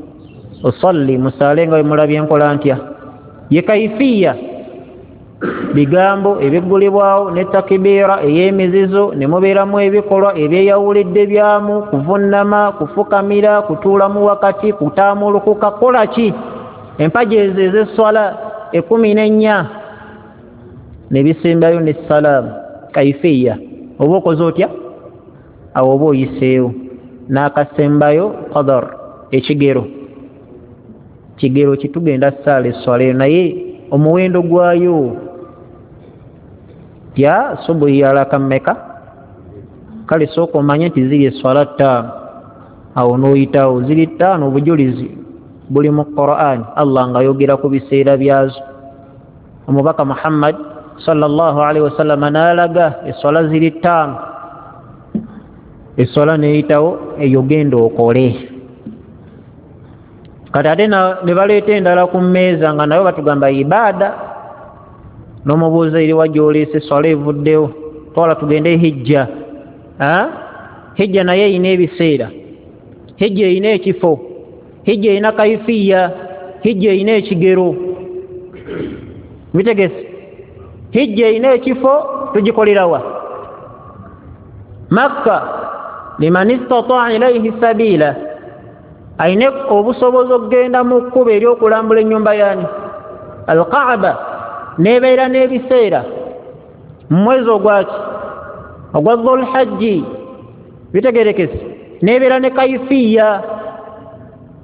usalli, musaale nga bwe mulabye enkola ntya. Ye kaifiya, bigambo ebiggulibwawo ne takibiira ey'emizizo, ne mubeeramu ebikolwa ebyeyawulidde byamu, kuvunnama, kufukamira, kutuulamu wakati, kutaamulukuka, kola ki, empagi ezo ez'esswala ekkumi n'ennya, ne bisembayo ne salaamu. Kaifiya oba okoze otya awo oba oyiseewo. N'akasembayo qadar, ekigero. Kigero kitugenda ssaala esswala eyo, naye omuwendo gwayo tya subuhi yalaka mmeka? Kale sooka omanye nti ziri esswala ttaano, awo n'oyitawo ziri ttaano. Obujulizi buli mu Qur'an, Allah ng'ayogera ku biseera byazo. Omubaka Muhammad sallallahu alaihi wasallama n'alaga esswala ziri ttaano. Esswala n'eyitawo eyo, genda okole. Kati ate ne baleeta endala ku mmeeza nga nayo batugamba ibaada, n'omubuuza eriwa gy'oleese esswala evuddewo? Twala tugende hijja. Hijja naye erina ebiseera, hijja erina ekifo, hijja erina kaifiya, hijja erina ekigero. Bitegese? Hijja erina ekifo, tugikolerawa? Makka, liman istataa ilaihi sabiila, ayina obusobozi okugenda mu kkubo ery'okulambula ennyumba yani Alkaaba. Nebeera n'ebiseera mu mwezi ogwaki? Ogwa Dhulhajji. Bitegerekese? Nebeera ne kaifiya.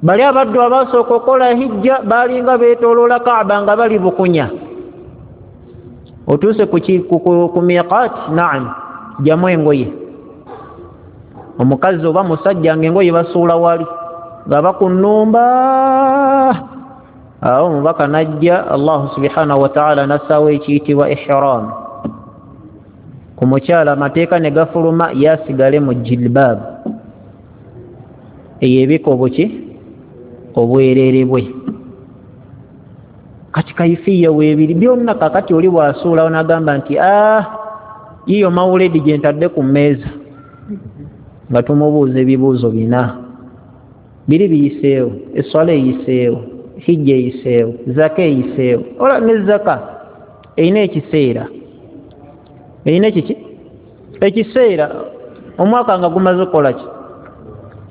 Bali abaddu abasooka okukola hijja balinga beetooloola Kaaba nga bali bukunya. Otuuse ku miqaati, naam, jjamu engoye. Omukazi oba musajja nga engoye basuula wali nga bakunumba. Awo omubaka najja, Allahu subhanahu wataala nassaawo ekiyitibwa ihram ku mukyala, amateeka ne gafuluma, yasigale mu jilbaab eyo ebika obuki obwerere bwe. Kati kaifiya weebiri byonna. Kakati oli bwasuulawo nagamba nti ah, yiyo mawuledi gye ntadde ku mmeeza, nga tumubuuza ebibuuzo bina. Biri biyiseewo: esswala eyiseewo, hijja eyiseewo, zaka eyiseewo. Ola ne zaka erina ekiseera, erina ekiki? Ekiseera, omwaka nga gumaze okukola ki.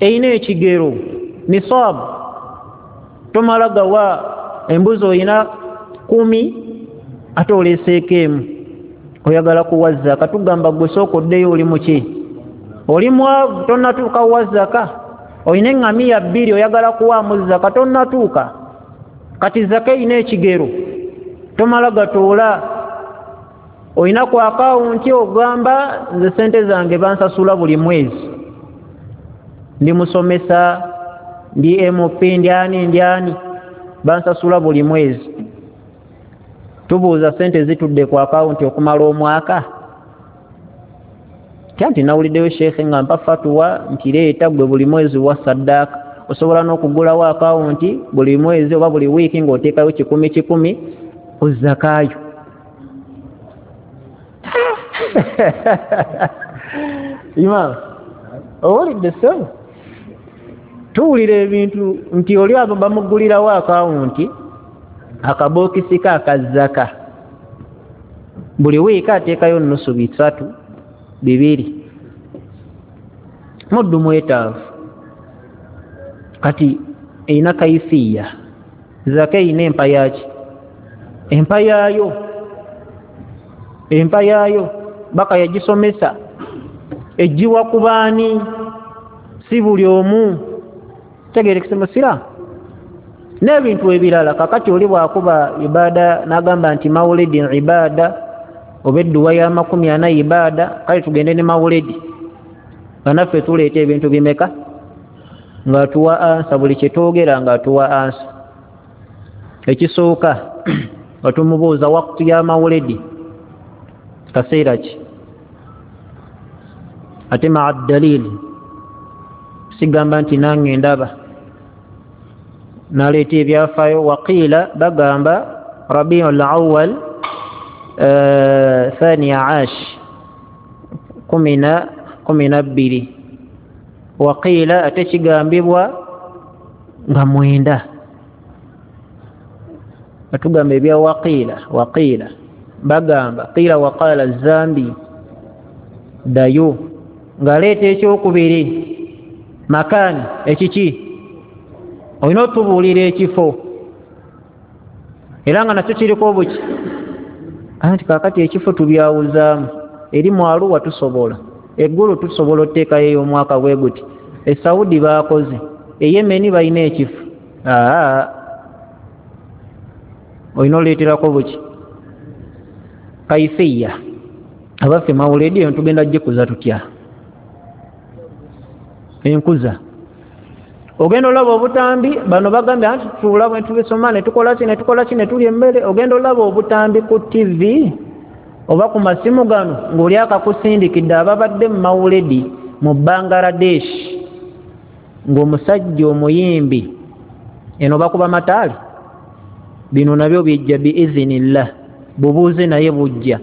Erina ekigero, nisaabu. Tomala gawa embuzi oyina kumi ate oleeseeko emu oyagala kuwa zaka. Tugamba gwe sooka oddeyo, oli muki? Oli mwavu, tonnatuuka wa zaka. Oyina eŋŋamiya bbiri oyagala kuwaamu zaka, tonnatuuka. Kati zaka erina ekigero, tomala gatuula. Oyina ku akawunti ogamba nze sente zange bansasula buli mwezi, ndi musomesa, ndi M P, ndi ani, ndi ani, bansasula buli mwezi. Tubuuza, sente zitudde ku akawunti okumala omwaka? Nti nawuliddeyo sheekhe nga mpa fatuwa nti leeta gwe buli mwezi wa saddaaka, osobola n'okugulawo akawunti buli mwezi oba buli wiiki ng'oteekayo kikumi kikumi ku zakaayo. Imaam, owulidde ssebo? Tuwulira ebintu nti oli abo bamugulirawo akawunti akabookisi ke akazaka, buli wiiki ateekayo nusu bisatu bibiri, muddu mwetaavu. Kati erina kaifiya, zaka erina empa yaki? Empa yaayo, empa yaayo baka yagisomesa, ejjiwa ku baani? Si buli omu. Tegeerekese musiraamu n'ebintu ebirala. Kakati oli bw'akuba ibaada n'agamba nti mawulidi ibaada oba edduwa ya makumi ana ibaada, kale tugende ne mawulidi nga naffe tuleeta ebintu bimeka ng'atuwa ansa buli kye twogera ng'atuwa ansa. Ekisooka nga tumubuuza waktu ya mawulidi kaseera ki, ate maa dalili, sigamba nti nange ndaba naleeta ebyafaayo. Waqiila bagamba rabiul awal thaniya ash kumi na bbiri, waqiila ate kigambibwa nga mwenda. Atugamba ebya waqiila, waqiila bagamba qiila waqala zambi dayo, ng'aleeta ekyokubiri makaani ekiki, olina otubuulira ekifo era nga nakyo kiriko obuki. Anti kaakati ekifo tubyawuzaamu, eri mu Aruwa tusobola, eggulu tusobola oteekayo ey'omwaka bwe guti, e Saudi baakoze, e Yemeni balina ekifo. Aa, olina oleeterako buki kaifiya. Abaffe mawuledi eyo tugenda gikuza tutya? Enkuza ogenda olaba obutambi, bano bagambye anti tutuula bwe tubisoma ne tukola ki ne tukola ki ne tulya emmere. Ogenda olaba obutambi ku T V oba ku masimu gano ng'oli akakusindikidde ababadde mu mawuledi mu Bangladesh, ng'omusajja omuyimbi eno bakuba mataali. Bino nabyo bijja biizinillah, bubuuze naye bujja.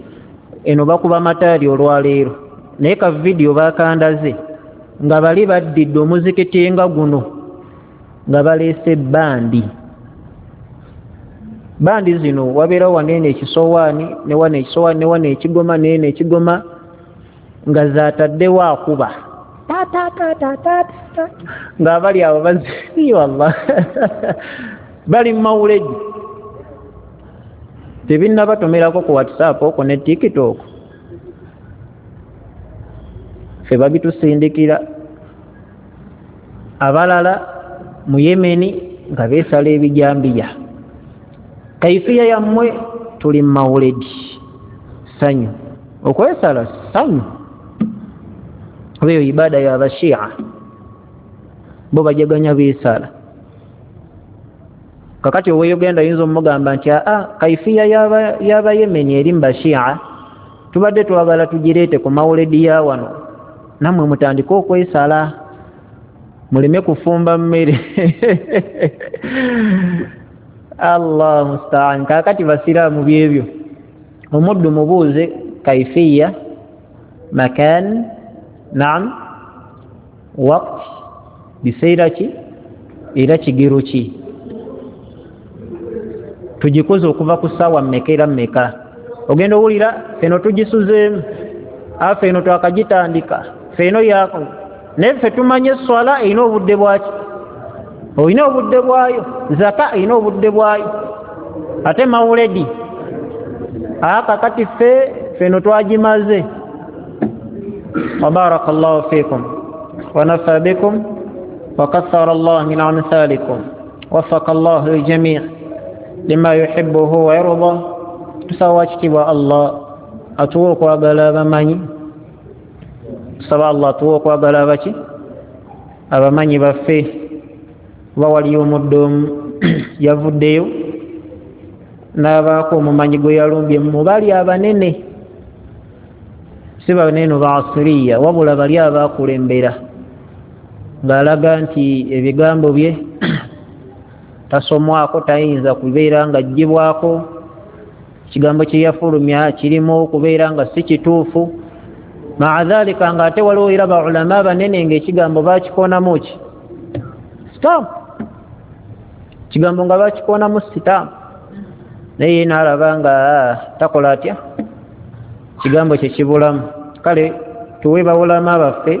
Eno bakuba mataali olwaleero, naye ka vidiyo bakandaze nga bali baddidde omuzikiti nga guno nga baleese bandi. Bandi zino wabeerawo waneeno ekisowaani ne wano ekisowaani ne wano ekigoma neeno ekigoma, nga zaataddewo akuba ta ta ta ta ta, ng'abali abo bazi wallah bali mu mawuledi. Tebinnabatomerako ku WhatsApp okwo ne TikTok, ffe babitusindikira. Abalala mu Yemeni nga beesala ebijambiya. Kaifiya yammwe tuli mu mawuledi, ssanyu. Okwesala ssanyu, oba eyo ibaada y'abashia, bo bajaganya beesala. Kakati owe Uganda yinza omugamba nti aa, kaifiya y'abayemeni eri mu bashia tubadde twagala tugireete ku mawuledi ya wano, nammwe mutandike okwesala muleme kufumba mmere. Allah mustaan. Kakati basiraamu byebyo, omuddu mubuuze kaifiya, makan, naam, waqt, biseera ki era kigero ki, tugikoze okuva ku ssaawa mmeka era mmeka. Ogenda owulira feno tugisuzeemu, afe eno twakagitandika, feno yako. Naye ffe tumanye esswala erina obudde bwaki, olina obudde bwayo, zaka erina obudde bwayo, ate mawuledi aka kati ffe feno twagimaze. Wa barakallahu fikum wa nafa bikum wa kathara Allah min amthalikum waffaka Allahu al-jami' lima yuhibbuhu wa yarda. Tusaba kitiibwa Allah atuwe okwagala abamanyi, tusaba Allah atuwe okwagala abaki abamanyi baffe. Kuba waliyo omudde omu yavuddeyo n'abaako omumanyi gwe yalumbye mu bali abanene, Si baneeno baasiriya, wabula bali abakulembera, ng'alaga nti ebigambo bye tasomwako, tayinza kubeera nga aggyibwako, ekigambo kye yafulumya kirimu okubeera nga si kituufu. Maa dhalika nga ate waliwo era baulama banene ng'ekigambo bakikonamu ki sitampu, ekigambo nga bakikonamu sitampu, naye ye n'alaba nga takola atya, kigambo kye kibulamu. Kale tuwe baulama baffe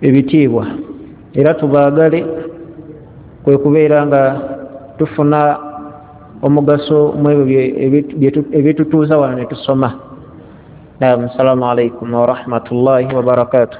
ebitiibwa era tubaagale, kwe kubeera nga tufuna omugaso mu ebyo ebitutuuza wano ne tusoma. Naam, assalamu alaikum warahmatullahi wabarakatuh.